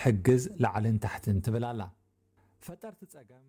ሕግዝ ላዕልን ታሕትን ትብል ኣላ። ፈጠርቲ ጸገም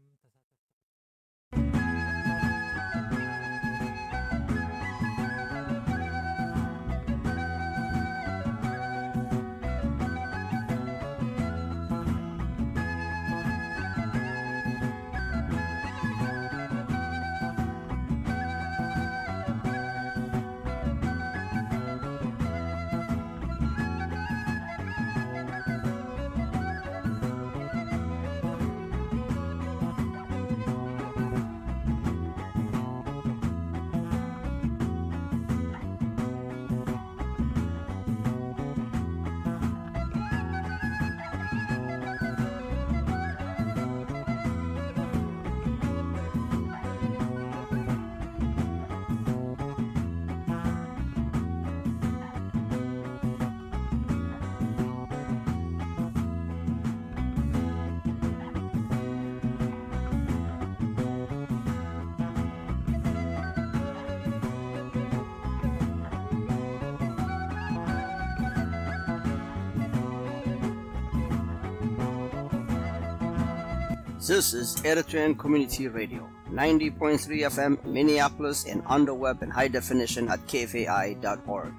This is Eritrean Community Radio, ninety point three F M Minneapolis, and on the web in high definition at K F A I dot org.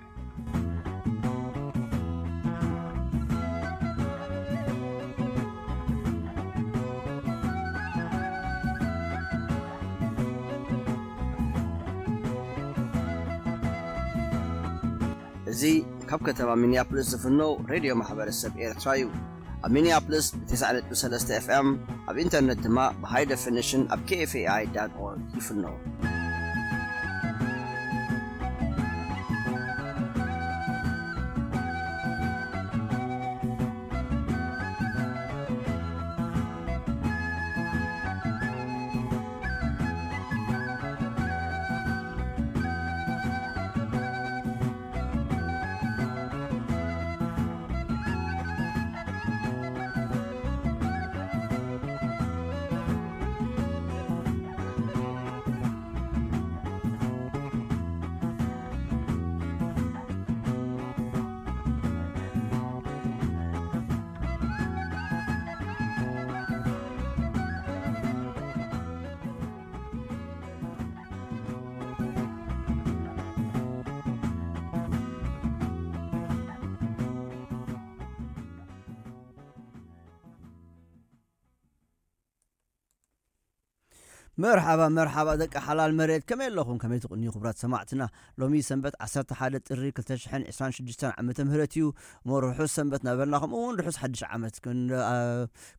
እዚ ካብ ከተማ ሚኒያፖሊስ ዝፍኖ ሬድዮ ማሕበረሰብ ኤርትራ እዩ። ኣብ ሚኒያፖሊስ ብ ተስዓ ነጥቢ ሰለስተ ኤፍ ኤም፣ ኣብ ኢንተርነት ድማ ብ ሃይ ደፊኒሽን ኣብ ኬ ኤፍ ኤ ኣይ ዳት ኦርግ ይፍኖ። መርሓባ፣ መርሓባ ደቂ ሓላል መሬት፣ ከመይ ኣለኹም? ከመይ ትቕንዩ ክቡራት ሰማዕትና? ሎሚ ሰንበት ዓሰርተ ሓደ ጥሪ ክልተ ሽሕን ዕስራን ሽዱሽተን ዓመተ ምህረት እዩ። እሞ ርሑስ ሰንበት እናበልና፣ ከምኡ እውን ርሑስ ሓድሽ ዓመት ክን-፣ አ፣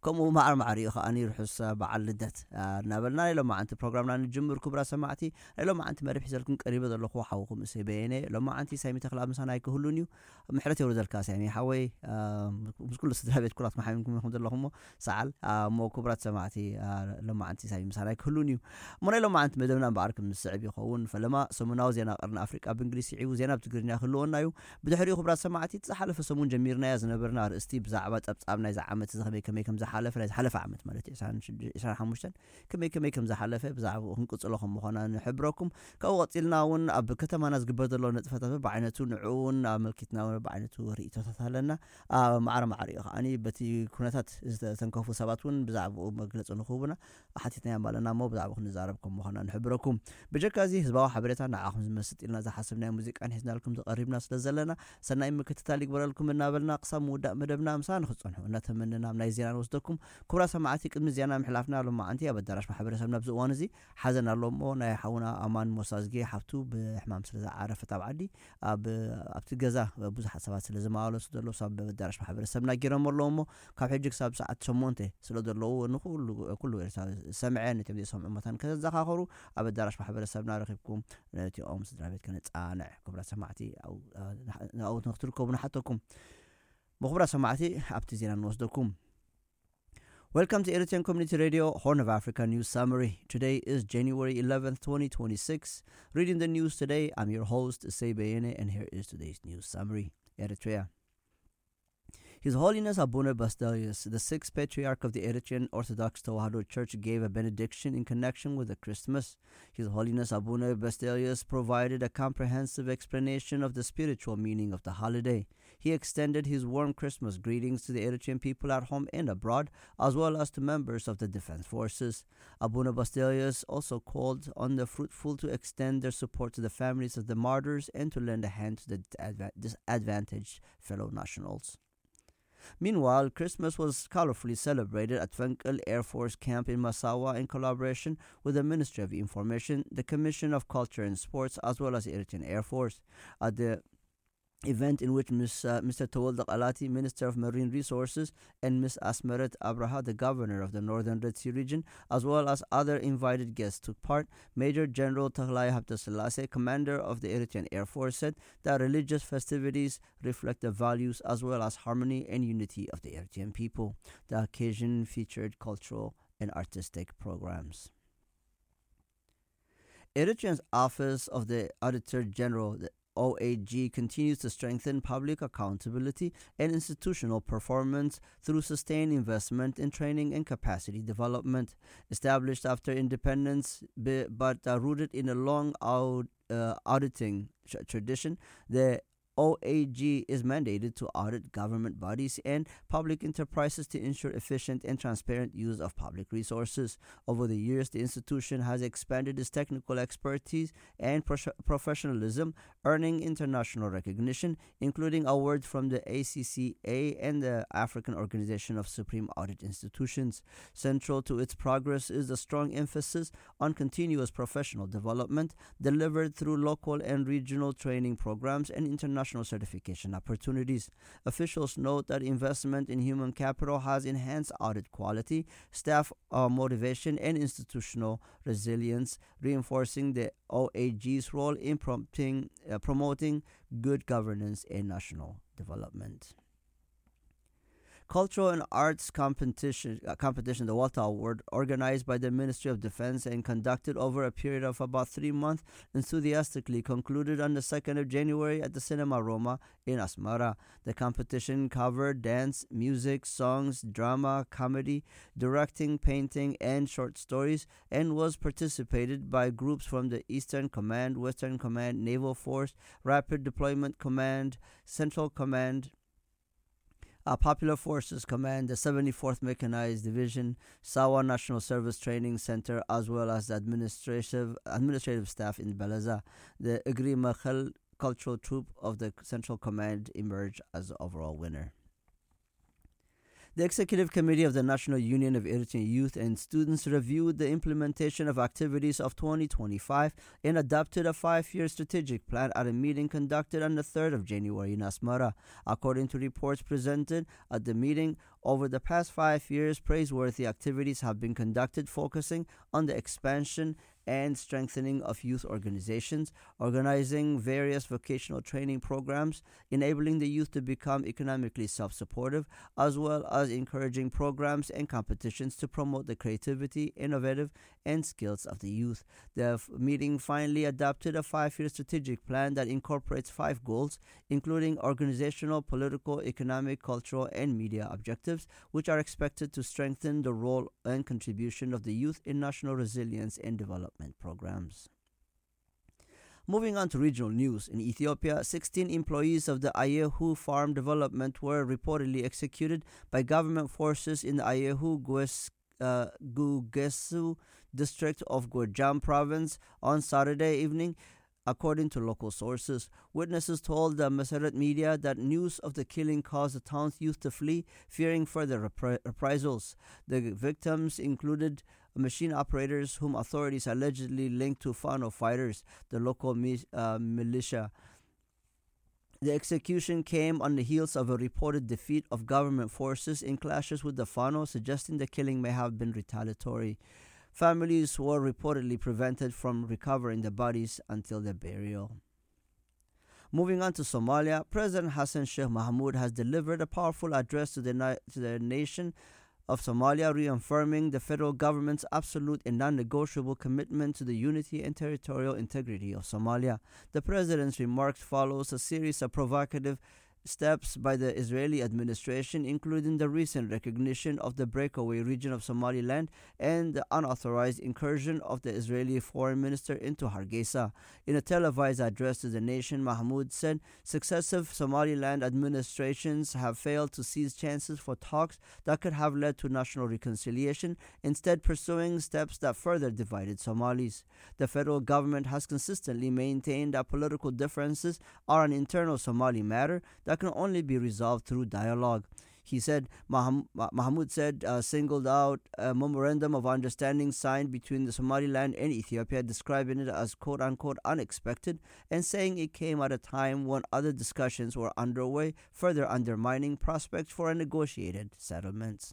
ከምኡ ማዕር ማዕር እዩ ከኣኒ ርሑስ፣ አ፣ በዓል ልደት፣ አ፣ እናበልና ናይ ሎማዓንቲ ፕሮግራምና ንጅምር። ክቡራት ሰማዕቲ፣ ናይ ሎማዓንቲ መደብ ሒዘልኩም ቀሪበ ዘለኹ ሓውኹም እሰይ በየነ። ሎማዓንቲ ሳሚ ተኽላ ምሳና ኣይክህሉን እዩ። ምሕረት የውርደልካ ሳሚ ሓወይ፣ አ፣ ምስ ኩሉ ስድራ ቤት ኩላት መሓሚምኩም ኢኹም ዘለኹም እሞ ሰዓል፣ አ፣ እሞ ክቡራት ሰማዕቲ፣ አ፣ ሎማዓንቲ ሳሚ ምሳና ኣይክህሉን እዩ። እሞ ናይ ሎማዓንቲ መደብና እምበኣር ከም ዝስዕብ ይኸውን። ፈለማ ሰሙናዊ ዜና ቀርኒ ኣፍሪቃ ብእንግሊዝ ስዒቡ ዜና ብትግርኛ ክህልወና እዩ። ብድሕሪኡ ክቡራት ሰማዕቲ፣ እቲ ዝሓለፈ ሰሙን ጀሚርናዮ ዝነበርና ኣርእስቲ ብዛዕባ ጸብጻብ ናይዚ ዓመት እዚ ከመይ ከመይ ከም ዝሓለፈ፣ ናይ ዝሓለፈ ዓመት ማለት እዩ፣ ዕስራን ሓሙሽተን ከመይ ከመይ ከም ዝሓለፈ ብዛዕባኡ ክንቅጽሎ ከም ምዃና ንሕብረኩም። ካብኡ ቀጺልና እውን ኣብ ከተማና ዝግበር ዘሎ ንጥፈታት በብዓይነቱ ንዕኡ እውን ኣመልኪትና እውን በብዓይነቱ ርእይቶታት ኣለና። ኣብ ማዕረ ማዕሪኡ ከኣኒ በቲ ኩነታት ዝተተንከፉ ሰባት እውን ብዛዕባኡ መግለጺ ንክህቡና ሓቲትናዮም ኣለና እሞ ብዛዕባኡ ክንዛረብ ከም ምዃና ንሕብረኩም። ብጀካ እዚ ህዝባዊ ሓበሬታ ንዓኹም ዝመስጥ ኢልና ዝሓሰብናዮ ሙዚቃን ሒዝናልኩም ዝቐሪብና ስለ ዘለና ሰናይ ምክትታል ይግበረልኩም እናበልና ክሳብ ምውዳእ መደብና ምሳና ንክትጸንሑ እናተመነና ኣብ ናይ ዜና ንወስደኩም። ክቡራት ሰማዕቲ፣ ቅድሚ ዜና ምሕላፍና ሎማዓንቲ ኣብ ኣዳራሽ ማሕበረሰብና ኣብዚ እዋን እዚ ሓዘን ኣሎ እሞ ናይ ሓውና ኣማን ሞሳዝጌ ሓፍቱ ብሕማም ስለ ዝዓረፈት ኣብ ዓዲ ኣብ፣ ኣብቲ ገዛ ብዙሓት ሰባት ስለ ዝመላለሱ ዘለዉ ሳብ ኣዳራሽ ማሕበረሰብና ጌሮም ኣለዉ እሞ ካብ ሕጂ ክሳብ ሰዓት ሸሞንተ ስለ ዘለዉ ንኩሉ፣ ኩሉ ኤርትራዊ ዝሰምዐ ነቶም ዘይሰምዑ መታን ከተዘኻኸሩ ኣብ ኣዳራሽ ማሕበረሰብና ረኺብኩም ነቲኦም ስድራ ቤት ከነጻንዕ ክቡራት ሰማዕቲ ኣብኡ፣ ኣብኡ ንክትርከቡ ንሓተኩም። ክቡራት ሰማዕቲ ኣብቲ ዜና ንወስደኩም። Welcome to Eritrean Community Radio, Horn of Africa News Summary. Today is January eleventh, twenty twenty-six. Reading the news today, I'm your host, Issei Beyene, and here is today's news summary. Eritrea. His Holiness Abuna Basdelius, the sixth Patriarch of the Eritrean Orthodox Tewahedo Church, gave a benediction in connection with the Christmas. His Holiness Abuna Basdelius provided a comprehensive explanation of the spiritual meaning of the holiday. He extended his warm Christmas greetings to the Eritrean people at home and abroad, as well as to members of the defense forces. Abuna Basilius also called on the fruitful to extend their support to the families of the martyrs and to lend a hand to the disadva- disadvantaged fellow nationals. Meanwhile, Christmas was colorfully celebrated at Fenkel Air Force Camp in Massawa in collaboration with the Ministry of Information, the Commission of Culture and Sports, as well as the Eritrean Air Force. At the event in which Miss, uh, Mister Tawalda Kalati, Minister of Marine Resources, and Miss Asmeret Abraha, the governor of the Northern Red Sea region, as well as other invited guests took part, Major General Taglai Habtaselassie, commander of the Eritrean Air Force, said that religious festivities reflect the values as well as harmony and unity of the Eritrean people. The occasion featured cultural and artistic programs. Eritrea's Office of the Auditor General, the O A G, continues to strengthen public accountability and institutional performance through sustained investment in training and capacity development. Established after independence, b- but uh, rooted in a long aud- uh, auditing tr- tradition, the O A G is mandated to audit government bodies and public enterprises to ensure efficient and transparent use of public resources. Over the years, the institution has expanded its technical expertise and prof- professionalism, earning international recognition, including awards from the A C C A and the African Organization of Supreme Audit Institutions. Central to its progress is the strong emphasis on continuous professional development delivered through local and regional training programs and international certification opportunities. Officials note that investment in human capital has enhanced audit quality, staff uh, motivation, and institutional resilience, reinforcing the O A G's role in prompting, uh, promoting good governance and national development. Cultural and arts competition, uh, competition, the Walter Award, organized by the Ministry of Defense and conducted over a period of about three months, enthusiastically concluded on the second of January at the Cinema Roma in Asmara. The competition covered dance, music, songs, drama, comedy, directing, painting, and short stories, and was participated by groups from the Eastern Command, Western Command, Naval Force, Rapid Deployment Command, Central Command, uh, Popular Forces Command, the seventy-fourth Mechanized Division, Sawa National Service Training Center, as well as the administrative, administrative staff in Belaza. The Igri Machel Cultural Troupe of the Central Command emerged as the overall winner. The Executive Committee of the National Union of Eritrean Youth and Students reviewed the implementation of activities of twenty twenty-five and adopted a five-year strategic plan at a meeting conducted on the third of January in Asmara. According to reports presented at the meeting, over the past five years, praiseworthy activities have been conducted focusing on the expansion and strengthening of youth organizations, organizing various vocational training programs, enabling the youth to become economically self-supportive, as well as encouraging programs and competitions to promote the creativity, innovative, and skills of the youth. The f- meeting finally adopted a five-year strategic plan that incorporates five goals, including organizational, political, economic, cultural, and media objectives, which are expected to strengthen the role and contribution of the youth in national resilience and development programs. Moving on to regional news, in Ethiopia, sixteen employees of the Ayehu Farm Development were reportedly executed by government forces in the Ayehu Gues- uh, Gugesu district of Gojam province on Saturday evening, according to local sources. Witnesses told the Maseret media that news of the killing caused the town's youth to flee, fearing further repri- reprisals. The victims included machine operators whom authorities allegedly linked to Fano fighters, the local mi- uh, militia. The execution came on the heels of a reported defeat of government forces in clashes with the Fano, suggesting the killing may have been retaliatory. Families were reportedly prevented from recovering the bodies until the burial. Moving on to Somalia, President Hassan Sheikh Mohamud has delivered a powerful address to the, na- to the nation of Somalia, reaffirming the federal government's absolute and non-negotiable commitment to the unity and territorial integrity of Somalia. The president's remarks follows a series of provocative steps by the Israeli administration, including the recent recognition of the breakaway region of Somaliland and the unauthorized incursion of the Israeli foreign minister into Hargeisa. In a televised address to the nation, Mahmoud said successive Somaliland administrations have failed to seize chances for talks that could have led to national reconciliation, instead pursuing steps that further divided Somalis. The federal government has consistently maintained that political differences are an internal Somali matter that can only be resolved through dialogue. He said, Maham- Mahmoud said, uh, singled out a memorandum of understanding signed between the Somaliland and Ethiopia, describing it as quote unquote unexpected and saying it came at a time when other discussions were underway, further undermining prospects for a negotiated settlement.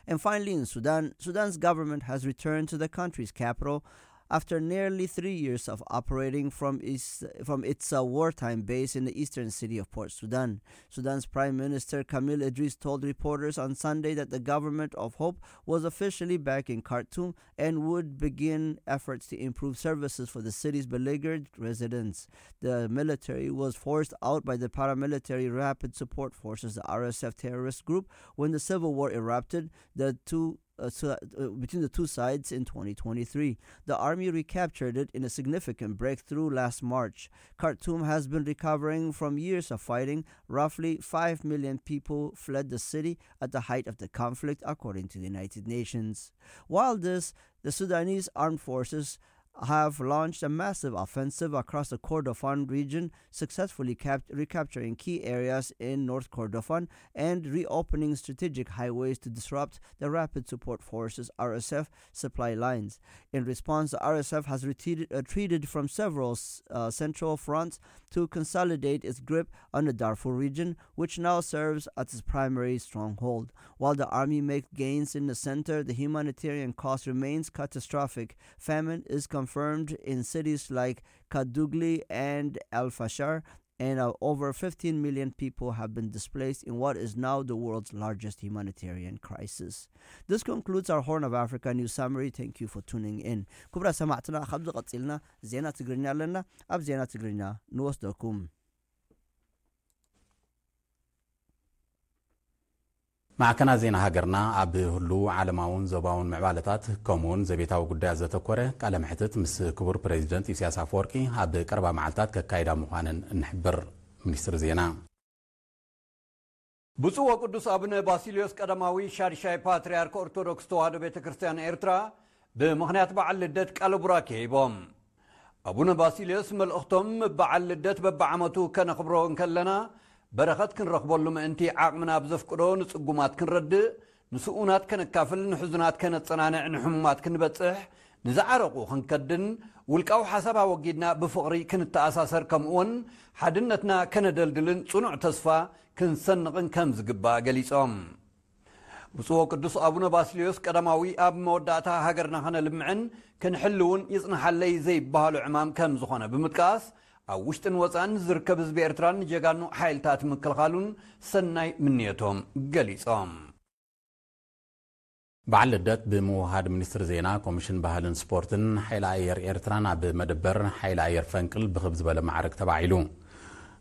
And finally, in Sudan, Sudan's government has returned to the country's capital after nearly three years of operating from its, from its uh, wartime base in the eastern city of Port Sudan. Sudan's Prime Minister Kamil Idris told reporters on Sunday that the government of hope was officially back in Khartoum and would begin efforts to improve services for the city's beleaguered residents. The military was forced out by the paramilitary Rapid Support Forces, the R S F terrorist group, when the civil war erupted the two uh, so, uh, between the two sides in twenty twenty-three. The army recaptured it in a significant breakthrough last March. Khartoum has been recovering from years of fighting. Roughly five million people fled the city at the height of the conflict, according to the United Nations. While this, the Sudanese armed forces have launched a massive offensive across the Kordofan region, successfully cap- recapturing key areas in North Kordofan and reopening strategic highways to disrupt the Rapid Support Forces, R S F, supply lines. In response, the R S F has retreated, retreated from several uh, central fronts to consolidate its grip on the Darfur region, which now serves as its primary stronghold. While the army makes gains in the center, the humanitarian cost remains catastrophic. Famine is confirmed in cities like Kadugli and El Fasher, and uh, over fifteen million people have been displaced in what is now the world's largest humanitarian crisis. This concludes our Horn of Africa news summary. Thank you for tuning in. ክቡራት ሰማዕትና፣ ካብዚ ቀጺልና ዜና ትግርኛ ኣለና። ኣብ ዜና ትግርኛ ንወስደኩም። ማዕከናት ዜና ሃገርና ኣብ ህሉው ዓለማውን ዞባውን ምዕባለታት ከምኡውን ዘቤታዊ ጉዳያት ዘተኮረ ቃለ መሕትት ምስ ክቡር ፕሬዚደንት ኢሳያስ ኣፈወርቂ ኣብ ቀረባ መዓልታት ከካይዳ ምዃነን እንሕብር። ሚኒስትሪ ዜና። ብፁዕ ወቅዱስ ኣቡነ ባሲልዮስ ቀዳማዊ ሻድሻይ ፓትርያርክ ኦርቶዶክስ ተዋህዶ ቤተ ክርስቲያን ኤርትራ ብምኽንያት በዓል ልደት ቃለ ቡራኬ ሂቦም። ኣቡነ ባሲልዮስ መልእኽቶም፣ በዓል ልደት በብዓመቱ ከነኽብሮ እንከለና በረኸት ክንረኽበሉ ምእንቲ ዓቕምና ብዘፍቅዶ ንጽጉማት ክንረድእ፣ ንስኡናት ከነካፍል፣ ንሕዙናት ከነጸናንዕ፣ ንሕሙማት ክንበጽሕ፣ ንዝዓረቑ ክንከድን ውልቃዊ ሓሳብ ኣወጊድና ብፍቕሪ ክንተኣሳሰር ከምኡውን ሓድነትና ከነደልድልን ጽኑዕ ተስፋ ክንሰንቕን ከም ዝግባእ ገሊጾም። ብፁዕ ወቅዱስ ኣቡነ ባስልዮስ ቀዳማዊ ኣብ መወዳእታ ሃገርና ከነልምዕን ክንሕልውን ይጽንሓለይ ዘይበሃሎ ዕማም ከም ዝኾነ ብምጥቃስ፣ ኣብ ውሽጥን ወጻእን ዝርከብ ህዝቢ ኤርትራን ንጀጋኑ ሓይልታት ምክልኻሉን ሰናይ ምንየቶም ገሊጾም። በዓል ልደት ብምውሃድ ሚኒስትሪ ዜና፣ ኮሚሽን ባህልን ስፖርትን ሓይሊ ኣየር ኤርትራን ኣብ መደበር ሓይሊ ኣየር ፈንቅል ብኽብ ዝበለ ማዕርግ ተባዒሉ።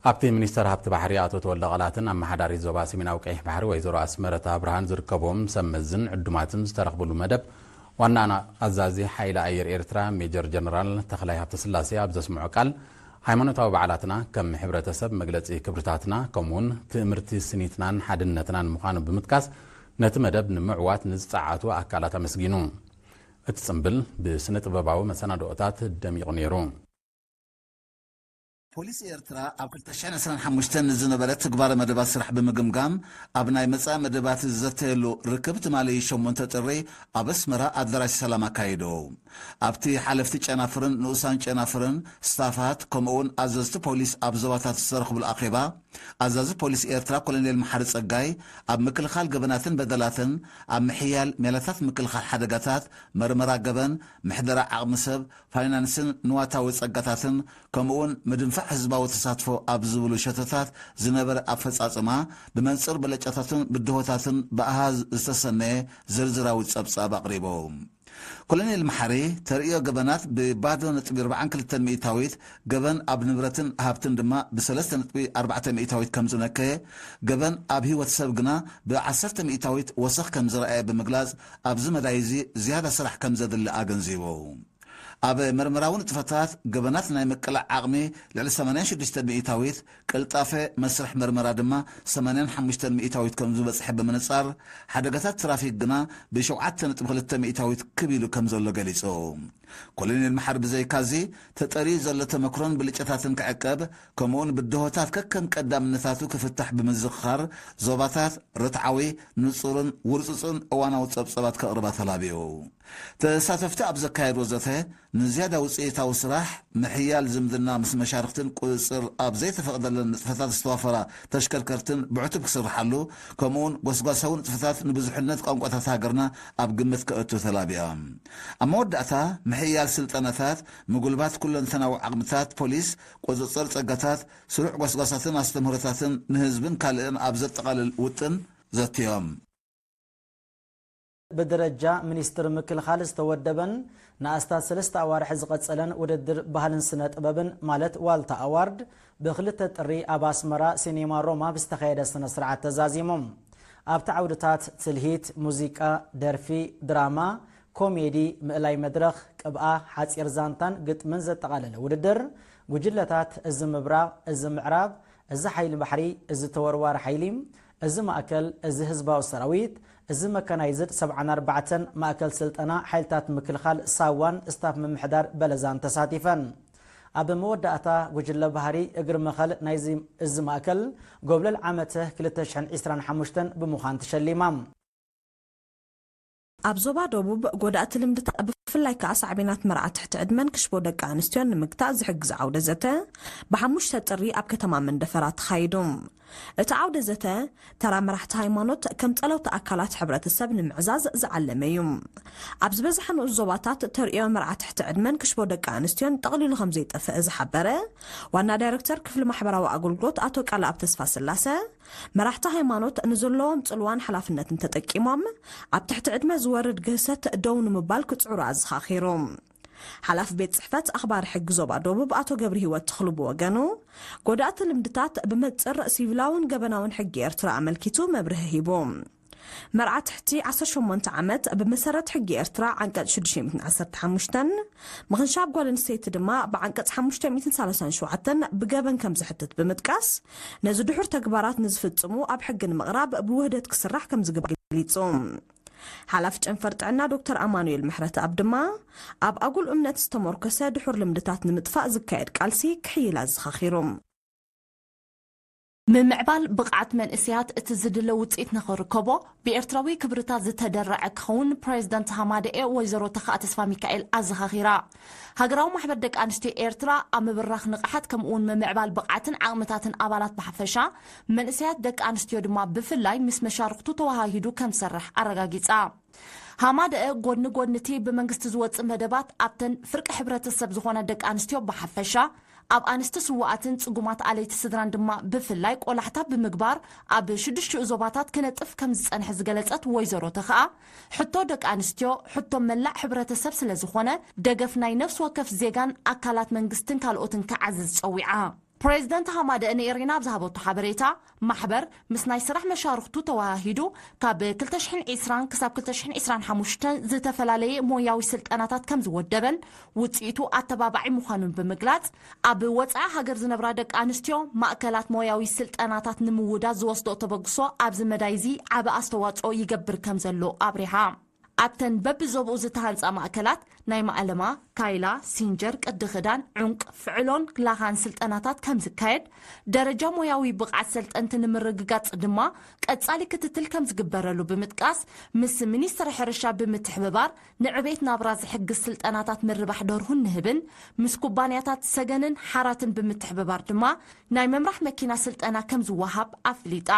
ኣብቲ ሚኒስተር ሃብቲ ባሕሪ ኣቶ ተወልደ ቃላትን ኣመሓዳሪት ዞባ ሰሜናዊ ቀይሕ ባሕሪ ወይዘሮ ኣስመረት ኣብርሃን ዝርከብዎም ሰብ መዝን ዕዱማትን ዝተረኽብሉ መደብ ዋና ኣዛዚ ሓይሊ ኣየር ኤርትራ ሜጀር ጀነራል ተኽላይ ሃብተስላሴ ኣብ ዘስምዖ ቃል፣ ሃይማኖታዊ በዓላትና ከም ሕብረተሰብ መግለጺ ክብርታትና ከምኡውን ትእምርቲ ስኒትናን ሓድነትናን ምዃኑ ብምጥቃስ፣ ነቲ መደብ ንምዕዋት ንዝጸዓቱ ኣካላት ኣመስጊኑ። እቲ ጽምብል ብስነ ጥበባዊ መሰናድኦታት ደሚቑ ነይሩ። ፖሊስ ኤርትራ ኣብ ክልተ ሽሕን ዕስራን ሓሙሽተን ንዝነበረ ትግባረ መደባት ስራሕ ብምግምጋም፣ ኣብ ናይ መጻኢ መደባት ዝዘተየሉ ርክብ ትማሊ ሸሞንተ ጥሪ ኣብ ኣስመራ ኣዳራሽ ሰላም ኣካይዱ። ኣብቲ ሓለፍቲ ጨናፍርን ንኡሳን ጨናፍርን፣ ስታፋት፣ ከምኡውን ኣዘዝቲ ፖሊስ ኣብ ዞባታት ዝተረኽብሉ ኣኼባ፣ ኣዛዚ ፖሊስ ኤርትራ ኮሎኔል መሓሪ ጸጋይ፣ ኣብ ምክልኻል ገበናትን በደላትን፣ ኣብ ምሕያል ሜላታት ምክልኻል ሓደጋታት፣ መርመራ ገበን፣ ምሕደራ ዓቕሚ ሰብ፣ ፋይናንስን ንዋታዊ ጸጋታትን፣ ከምኡውን ምድንፋዕ ህዝባዊ ተሳትፎ ኣብ ዝብሉ ሸቶታት ዝነበረ ኣፈጻጽማ፣ ብመንጽር ብለጫታትን ብድሆታትን ብኣሃዝ ዝተሰነየ ዝርዝራዊ ጸብጻብ ኣቕሪቡ። ኮሎኔል መሓሪ፣ ተርእዮ ገበናት ብባዶ ነጥቢ ኣርባዓን ክልተን ሚእታዊት፣ ገበን ኣብ ንብረትን ሃብትን ድማ ብሰለስተ ነጥቢ ኣርባዕተ ሚእታዊት ከም ዝነከየ፣ ገበን ኣብ ህይወት ሰብ ግና ብዓሰርተ ሚእታዊት ወሰኽ ከም ዝረኣየ ብምግላጽ፣ ኣብዚ መዳይ እዚ ዝያዳ ስራሕ ከም ዘድሊ ኣገንዚቡ። ኣብ መርመራዊ ንጥፈታት ገበናት ናይ ምቅላዕ ዓቕሚ ልዕሊ ሰማንያን ሽዱሽተ ሚእታዊት፣ ቅልጣፈ መስርሕ መርመራ ድማ ሰማንያን ሓሙሽተ ሚእታዊት ከም ዝበጽሐ ብምንጻር፣ ሓደጋታት ትራፊክ ግና ብሸውዓተ ነጥቢ ክልተ ሚእታዊት ክብ ኢሉ ከም ዘሎ ገሊጹ። ኮሎኔል መሓሪ ብዘይካዚ፣ ተጠርዩ ዘሎ ተመክሮን ብልጫታትን ክዕቀብ፣ ከምኡውን ብድሆታት ከከም ቀዳምነታቱ ክፍታሕ ብምዝኽኻር፣ ዞባታት ርትዓዊ፣ ንጹርን ውርጹጽን እዋናዊ ጸብጸባት ከቕርባ ተላብዩ። ተሳተፍቲ ኣብ ዘካየድዎ ዘተ፣ ንዝያዳ ውጽኢታዊ ስራሕ፣ ምሕያል ዝምድና ምስ መሻርኽትን ቁጽጽር ኣብ ዘይተፈቕደለን ንጥፈታት ዝተዋፈራ ተሽከርከርትን ብዕቱብ ክስርሓሉ፣ ከምኡውን ጎስጓሳዊ ንጥፈታት ንብዙሕነት ቋንቋታት ሃገርና ኣብ ግምት ከእቱ ተላቢያ። ኣብ መወዳእታ፣ ምሕያል ስልጠናታት፣ ምጉልባት ኩለንተናዊ ዓቕምታት ፖሊስ፣ ቁጽጽር ጸጋታት፣ ስሩዕ ጎስጓሳትን ኣስተምህሮታትን ንህዝብን ካልእን ኣብ ዘጠቓልል ውጥን ዘትዮም። ብደረጃ ሚኒስትር ምክልኻል ዝተወደበን ንኣስታት ሰለስተ ኣዋርሕ ዝቐጸለን ውድድር ባህልን ስነ ጥበብን ማለት ዋልታ ኣዋርድ ብክልተ ጥሪ ኣብ ኣስመራ ሲኔማ ሮማ ብዝተኻየደ ስነ ስርዓት ተዛዚሙ። ኣብቲ ዓውድታት ትልሂት፣ ሙዚቃ፣ ደርፊ፣ ድራማ፣ ኮሜዲ፣ ምእላይ መድረኽ፣ ቅብኣ፣ ሓጺር ዛንታን ግጥምን ዘጠቓለለ ውድድር፣ ጉጅለታት እዚ ምብራቕ፣ እዚ ምዕራብ፣ እዚ ሓይሊ ባሕሪ፣ እዚ ተወርዋሪ ሓይሊ፣ እዚ ማእከል፣ እዚ ህዝባዊ ሰራዊት፣ እዚ መካናይዝድ ሰብዓን ኣርባዕተን ማእከል ስልጠና ሓይልታት ምክልኻል ሳዋን ስታፍ ምምሕዳር በለዛን ተሳቲፈን። ኣብ መወዳእታ ጉጅለ ባህሪ እግሪ መኸል ናይዚ እዚ ማእከል ጎብለል ዓመተ ክልተ ሽሕን ዕስራን ሓሙሽተን ብምዃን ተሸሊማ። ኣብ ዞባ ደቡብ ጎዳእቲ ልምድታት ብፍላይ ከኣ ሳዕቤናት መርዓ ትሕቲ ዕድመን ክሽቦ ደቂ ኣንስትዮን ንምግታእ ዝሕግዝ ዓውደ ዘተ ብሓሙሽተ ጥሪ ኣብ ከተማ መንደፈራ ተኻይዱ። እቲ ዓውደ ዘተ ተራ መራሕቲ ሃይማኖት ከም ጸለውቲ ኣካላት ሕብረተሰብ ንምዕዛዝ ዝዓለመ እዩ። ኣብ ዝበዝሐ ንኡስ ዞባታት ተርእዮ መርዓ ትሕቲ ዕድመን ክሽቦ ደቂ ኣንስትዮን ጠቕሊሉ ከም ዘይጠፍአ ዝሓበረ ዋና ዳይረክተር ክፍሊ ማሕበራዊ ኣገልግሎት ኣቶ ቃልኣብ ተስፋ ስላሰ፣ መራሕቲ ሃይማኖት ንዘለዎም ጽልዋን ሓላፍነትን ተጠቂሞም ኣብ ትሕቲ ዕድመ ዝወርድ ግህሰት ደው ንምባል ክጽዕሩ ኣዘኻኺሩ። ሓላፊ ቤት ጽሕፈት ኣኽባሪ ሕጊ ዞባ ደቡብ ኣቶ ገብረ ህይወት ተኽሉ ብወገኑ፣ ጎዳእቲ ልምድታት ብመጽር ሲቪላውን ገበናውን ሕጊ ኤርትራ ኣመልኪቱ መብርሂ ሂቡ። መርዓ ትሕቲ ዓሰርተ ሸሞንተ ዓመት ብመሰረት ሕጊ ኤርትራ ዓንቀጽ ሽዱሽተ ሚእትን ዓሰርተ ሓሙሽተን፣ ምኽንሻብ ጓል ኣንስተይቲ ድማ ብዓንቀጽ ሓሙሽተ ሚእትን ሰላሳን ሸውዓተን ብገበን ከም ዝሕትት ብምጥቃስ፣ ነዚ ድሑር ተግባራት ንዝፍጽሙ ኣብ ሕጊ ንምቕራብ ብውህደት ክስራሕ ከም ዝግባእ ገሊጹ። ሓላፊ ጨንፈር ጥዕና ዶክተር ኣማኑኤል ምሕረተኣብ ድማ፣ ኣብ ኣጉል እምነት ዝተሞርከሰ ድሑር ልምድታት ንምጥፋእ ዝካየድ ቃልሲ ክሕይል ኣዘኻኺሩ። ምምዕባል ብቕዓት መንእሰያት እቲ ዝድለ ውጽኢት ንኽርከቦ ብኤርትራዊ ክብርታት ዝተደረዐ ክኸውን ፕሬዝደንት ሃማደኤ ወይዘሮ ተኽኣ ተስፋሚካኤል ኣዘኻኺራ። ሃገራዊ ማሕበር ደቂ ኣንስትዮ ኤርትራ ኣብ ምብራኽ ንቕሓት ከምኡውን ምምዕባል ብቕዓትን ዓቕምታትን ኣባላት ብሓፈሻ መንእሰያት ደቂ ኣንስትዮ ድማ ብፍላይ ምስ መሻርኽቱ ተወሃሂዱ ከም ዝሰርሕ ኣረጋጊጻ። ሃማደኤ ጎድኒ ጎድኒ እቲ ብመንግስቲ ዝወጽእ መደባት ኣብተን ፍርቂ ሕብረተሰብ ዝኾና ደቂ ኣንስትዮ ብሓፈሻ ኣብ ኣንስቲ ስውኣትን ጽጉማት ኣለይቲ ስድራን ድማ ብፍላይ ቆላሕታ ብምግባር ኣብ ሽዱሽቲኡ ዞባታት ክነጥፍ ከም ዝጸንሐ ዝገለጸት ወይዘሮ ተኽኣ፣ ሕቶ ደቂ ኣንስትዮ ሕቶ መላእ ሕብረተሰብ ስለ ዝኾነ ደገፍ ናይ ነፍሲ ወከፍ ዜጋን ኣካላት መንግስትን ካልኦትን ክዓዝዝ ጸዊዓ። ፕሬዝደንት ሃማደኤ ንኤሪና ኣብ ዝሃበቶ ሓበሬታ፣ ማሕበር ምስ ናይ ስራሕ መሻርኽቱ ተወሃሂዱ ካብ ክልተ ሽሕን ዕስራን ክሳብ ክልተ ሽሕን ዕስራን ሓሙሽተን ዝተፈላለየ ሞያዊ ስልጠናታት ከም ዝወደበን ውፅኢቱ ኣተባባዒ ምዃኑን ብምግላፅ፣ ኣብ ወፃኢ ሃገር ዝነብራ ደቂ ኣንስትዮ ማእከላት ሞያዊ ስልጠናታት ንምውዳድ ዝወስዶ ተበግሶ ኣብዚ መዳይ እዚ ዓቢ ኣስተዋፅኦ ይገብር ከም ዘሎ ኣብሪሃ። ኣብተን በብዞብኡ ዝተሃንፃ ማእከላት ናይ ማእለማ፣ ካይላ፣ ሲንጀር፣ ቅዲ ክዳን፣ ዑንቅ፣ ፍዕሎን ላኻን ስልጠናታት ከም ዝካየድ፣ ደረጃ ሞያዊ ብቕዓት ሰልጠንቲ ንምርግጋፅ ድማ ቀፃሊ ክትትል ከም ዝግበረሉ ብምጥቃስ፣ ምስ ሚኒስትሪ ሕርሻ ብምትሕብባር ንዕቤት ናብራ ዝሕግዝ ስልጠናታት ምርባሕ ደርሁን ንህብን፣ ምስ ኩባንያታት ሰገንን ሓራትን ብምትሕብባር ድማ ናይ ምምራሕ መኪና ስልጠና ከም ዝወሃብ ኣፍሊጣ።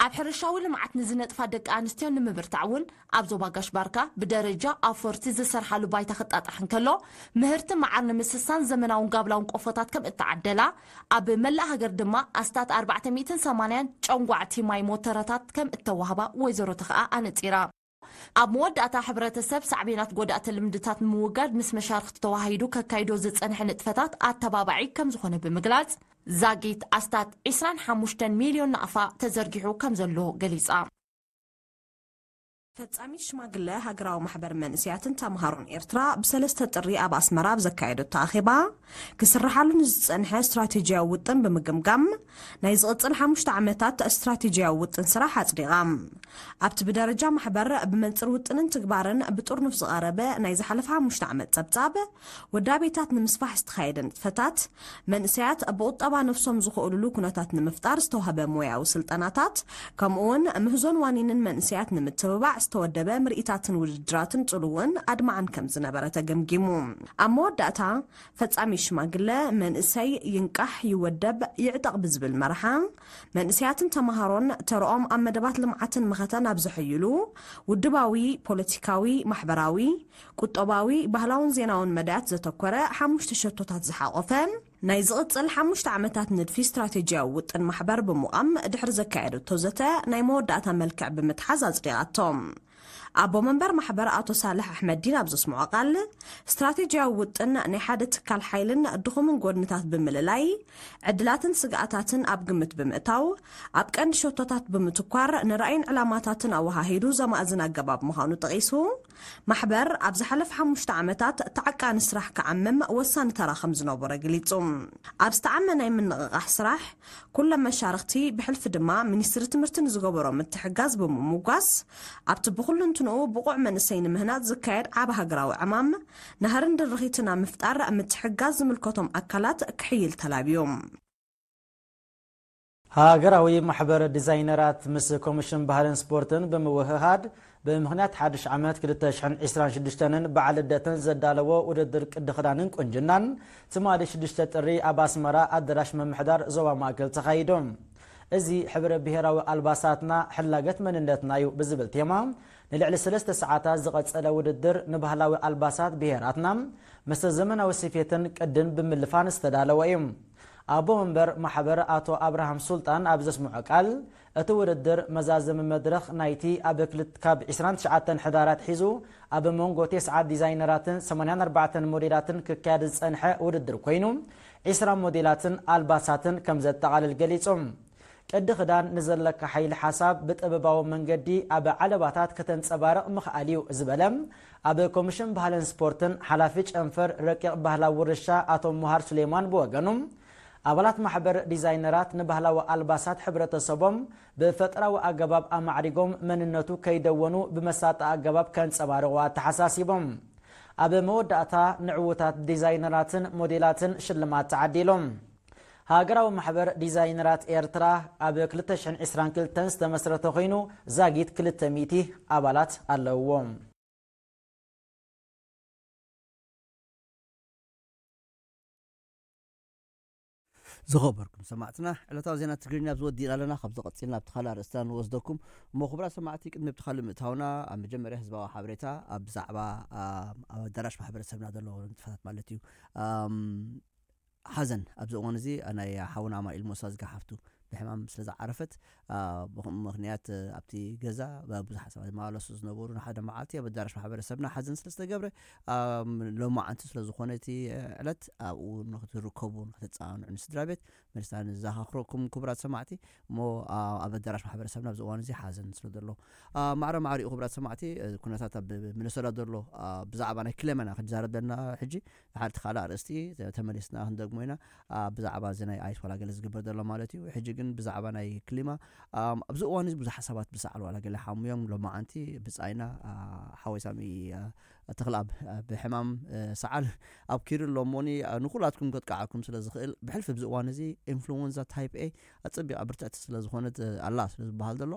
ኣብ ሕርሻዊ ልምዓት ንዝነጥፋ ደቂ ኣንስትዮ ንምብርታዕ እውን ኣብ ዞባ ጋሽ ባርካ ብደረጃ ኣውፈርቲ ዝሰርሓሉ ባይታ ክጣጣሕ እንከሎ፣ ምህርቲ መዓር ንምስሳን ዘመናውን ጋብላውን ቆፎታት ከም እተዓደላ፣ ኣብ መላእ ሃገር ድማ ኣስታት ኣርባዕተ ሚእትን ሰማንያን ጨንጓዕቲ ማይ ሞተረታት ከም እተዋህባ ወይዘሮ ተኽኣ ኣነጺራ። ኣብ መወዳእታ፣ ሕብረተሰብ ሳዕቤናት ጎዳእቲ ልምድታት ንምውጋድ ምስ መሻርኽቲ ተዋሃሂዱ ከካይዶ ዝጸንሐ ንጥፈታት ኣተባባዒ ከም ዝኾነ ብምግላጽ፣ ዛጊት ኣስታት ዕስራን ሓሙሽተን ሚልዮን ናቕፋ ተዘርጊሑ ከም ዘሎ ገሊጻ። ፈጻሚት ሽማግለ ሃገራዊ ማሕበር መንእሰያትን ተምሃሮን ኤርትራ ብ3 ጥሪ ኣብ ኣስመራ ኣብ ዘካየደቶ ኣኼባ፣ ክስርሓሉ ንዝጸንሐ ስትራቴጂያዊ ውጥን ብምግምጋም፣ ናይ ዝቕጽል ሓሙሽተ ዓመታት ስትራቴጂያዊ ውጥን ስራሕ ኣጽዲቓ። ኣብቲ ብደረጃ ማሕበር ብመንጽር ውጥንን ትግባርን ብጥርኑፍ ዝቐረበ ናይ ዝሓለፈ ሓሙሽተ ዓመት ጸብጻብ፣ ውዳቤታት ንምስፋሕ ዝተኻየደ ንጥፈታት፣ መንእሰያት ብቑጠባ ነፍሶም ዝኽእሉሉ ኩነታት ንምፍጣር ዝተዋህበ ሞያዊ ስልጠናታት፣ ከምኡውን ምህዞን ዋኒንን መንእሰያት ንምትብባዕ ዝተወደበ ምርኢታትን ውድድራትን ጽሉውን ኣድማዕን ከም ዝነበረ ተገምጊሙ። ኣብ መወዳእታ፣ ፈጻሚ ሽማግለ መንእሰይ ይንቃሕ፣ ይወደብ፣ ይዕጠቕ ብዝብል መርሓ፣ መንእሰያትን ተምሃሮን ተርኦም ኣብ መደባት ልምዓትን መኸተን ኣብ ዘሐይሉ፣ ውድባዊ፣ ፖለቲካዊ፣ ማሕበራዊ፣ ቁጠባዊ፣ ባህላውን ዜናውን መዳያት ዘተኮረ ሓሙሽተ ሸቶታት ዝሓቖፈ ናይ ዝቕጽል ሓሙሽተ ዓመታት ንድፊ ስትራቴጂያዊ ውጥን ማሕበር ብምዃም ድሕሪ ዘካየደቶ ዘተ ናይ መወዳእታ መልክዕ ብምትሓዝ ኣጽዲቓቶ። ኣቦ መንበር ማሕበር ኣቶ ሳልሕ ኣሕመዲን ኣብ ዘስምዖ ቃል፣ ስትራቴጂያዊ ውጥን ናይ ሓደ ትካል ሓይልን ድኹምን ጎድንታት ብምልላይ፣ ዕድላትን ስግኣታትን ኣብ ግምት ብምእታው፣ ኣብ ቀንዲ ሸቶታት ብምትኳር ንራእይን ዕላማታትን ኣወሃሂዱ ዘማእዝን ኣገባብ ምዃኑ ጠቒሱ፣ ማሕበር ኣብ ዝሓለፈ ሓሙሽተ ዓመታት ተዓቃኒ ስራሕ ክዓምም ወሳኒ ተራ ከም ዝነበሮ ገሊጹ። ኣብ ዝተዓመ ናይ ምንቕቓሕ ስራሕ፣ ኩሎም መሻርኽቲ ብሕልፊ ድማ ሚኒስትሪ ትምህርቲ ንዝገበሮ ምትሕጋዝ ብምምጓስ፣ ኣብቲ ብኹሉ እንትንኡ ብቑዕ መንእሰይ ንምህናጽ ዝካየድ ዓቢ ሃገራዊ ዕማም፣ ናህርን ድርኺትን ኣብ ምፍጣር ምትሕጋዝ ዝምልከቶም ኣካላት ክሕይል ተላብዮም። ሃገራዊ ማሕበር ዲዛይነራት ምስ ኮሚሽን ባህልን ስፖርትን ብምውህሃድ ብምኽንያት ሓድሽ ዓመት ክልተ ሽሕን ዕስራን ሽዱሽተን በዓል ልደትን ዘዳለዎ ውድድር ቅዲ ክዳንን ቁንጅናን ትማሊ ሽዱሽተ ጥሪ ኣብ ኣስመራ ኣዳራሽ ምምሕዳር ዞባ ማእከል ተኻይዱ። እዚ ሕብረ ብሄራዊ ኣልባሳትና ሕላገት መንነትና እዩ ብዝብል ቴማ ንልዕሊ ሰለስተ ሰዓታት ዝቐጸለ ውድድር ንባህላዊ ኣልባሳት ብሄራትና ምስ ዘመናዊ ስፌትን ቅድን ብምልፋን ዝተዳለወ እዩ። ኣቦ መንበር ማሕበር ኣቶ ኣብርሃም ሱልጣን ኣብ ዘስምዖ ቃል፣ እቲ ውድድር መዛዘሚ መድረኽ ናይቲ ኣብ ክልት-፣ ካብ ዕስራን ትሽዓተን ሕዳር ኣትሒዙ ኣብ መንጎ ተስዓት ዲዛይነራትን ሰማንያን ኣርባዕተን ሞዴላትን ክካየድ ዝጸንሐ ውድድር ኮይኑ፣ ዕስራ ሞዴላትን ኣልባሳትን ከም ዘጠቓልል ገሊጹ። ቅዲ ክዳን ንዘለካ ሓይሊ ሓሳብ ብጥበባዊ መንገዲ ኣብ ዓለባታት ከተንጸባርቕ ምኽኣል እዩ ዝበለ ኣብ ኮሚሽን ባህልን ስፖርትን ሓላፊ ጨንፈር ረቂቕ ባህላዊ ውርሻ ኣቶ ሙሃር ሱሌማን ብወገኑ፣ ኣባላት ማሕበር ዲዛይነራት ንባህላዊ ኣልባሳት ሕብረተሰቦም ብፈጠራዊ ኣገባብ ኣማዕሪጎም መንነቱ ከይደወኑ ብመሳጢ ኣገባብ ከንጸባርቑ ኣተሓሳሲቦም። ኣብ መወዳእታ ንዕዉታት ዲዛይነራትን ሞዴላትን ሽልማት ተዓዲሎም። ሃገራዊ ማሕበር ዲዛይነራት ኤርትራ ኣብ ክልተ ሽሕን ዕስራን ክልተን ዝተመስረተ ኮይኑ ዛጊት ክልተ ሚእቲ ኣባላት ኣለውዎ። ዝኸበርኩም ሰማዕትና፣ ዕለታዊ ዜና ትግርኛ ኣብዚ ወዲእና ኣለና። ካብዚ ቀጺልና ኣብቲ ካልእ ኣርእስትና ንወስደኩም። እሞ ክቡራት ሰማዕቲ፣ ቅድሚ ኣብቲ ካልእ ምእታውና፣ ኣብ መጀመርያ ህዝባዊ ሓበሬታ ኣብ ብዛዕባ፣ ኣም፣ ኣብ ኣዳራሽ ማሕበረሰብና ዘሎ ንጥፈታት ማለት እዩ። ኣም፣ ሓዘን ኣብዚ እዋን እዚ ናይ ሓውና ኣማኑኤል ሞሳ ዝገሓፍቱ ብሕማም ስለ ዝዓረፈት፣ አ፣ ብኸምኡ ምኽንያት፣ አ፣ ኣብቲ ገዛ ብ-፣ ብዙሓት ሰባት ዝመላለሱ ዝነበሩ ንሓደ መዓልቲ ኣብ ኣዳራሽ ማሕበረሰብና ሓዘን ስለ ዝተገብረ፣ ኣም፣ ሎማዓንቲ ስለ ዝኾነ እቲ ዕለት ኣብኡ ንክትርከቡ፣ ንክትጸናንዑ ንስድራ ቤት መሪስና ንዘኻኽረኩም ክቡራት ሰማዕቲ። እሞ፣ አ፣ ኣብ ኣዳራሽ ማሕበረሰብና ኣብዚ እዋን እዚ ሓዘን ስለ ዘሎ፣ አ፣ ማዕረ ማዕሪኡ ክቡራት ሰማዕቲ፣ እ፣ ኩነታት ኣብ ሚነሶታ ዘሎ፣ አ፣ ብዛዕባ ናይ ክሌመና ክንዛረብ ዘለና ሕጂ ሓደ ካልእ ኣርእስቲ ተ-፣ ተመሊስና ክንደግሞ ኢና። አ፣ ብዛዕባ እዚ ናይ ኣይስ ዋላ ገለ ዝግበር ዘሎ ማለት እዩ። ሕጂ ግን ብዛዕባ ናይ ክሊማ፣ ኣም፣ ኣብዚ እዋን እዚ ብዙሓት ሰባት ብሰዓል ዋላ ገለ ሓሙዮም ሎማዓንቲ ብጻይና፣ አ፣ ሓወይ ሳሚ፣ አ፣ ተኽለኣብ፣ አ፣ ብሕማም፣ እ፣ ሰዓል ኣብኪሩ ኣሎ እሞኒ፣ አ፣ ንኹላትኩም ከጥቅዓኩም ስለ ዝኽእል ብሕልፊ ኣብዚ እዋን እዚ ኢንፍሉወንዛ ታይፕ ኤ ኣጸቢቓ ብርትዕቲ ስለ ዝኾነት፣ እ፣ ኣላ ስለ ዝበሃል ዘሎ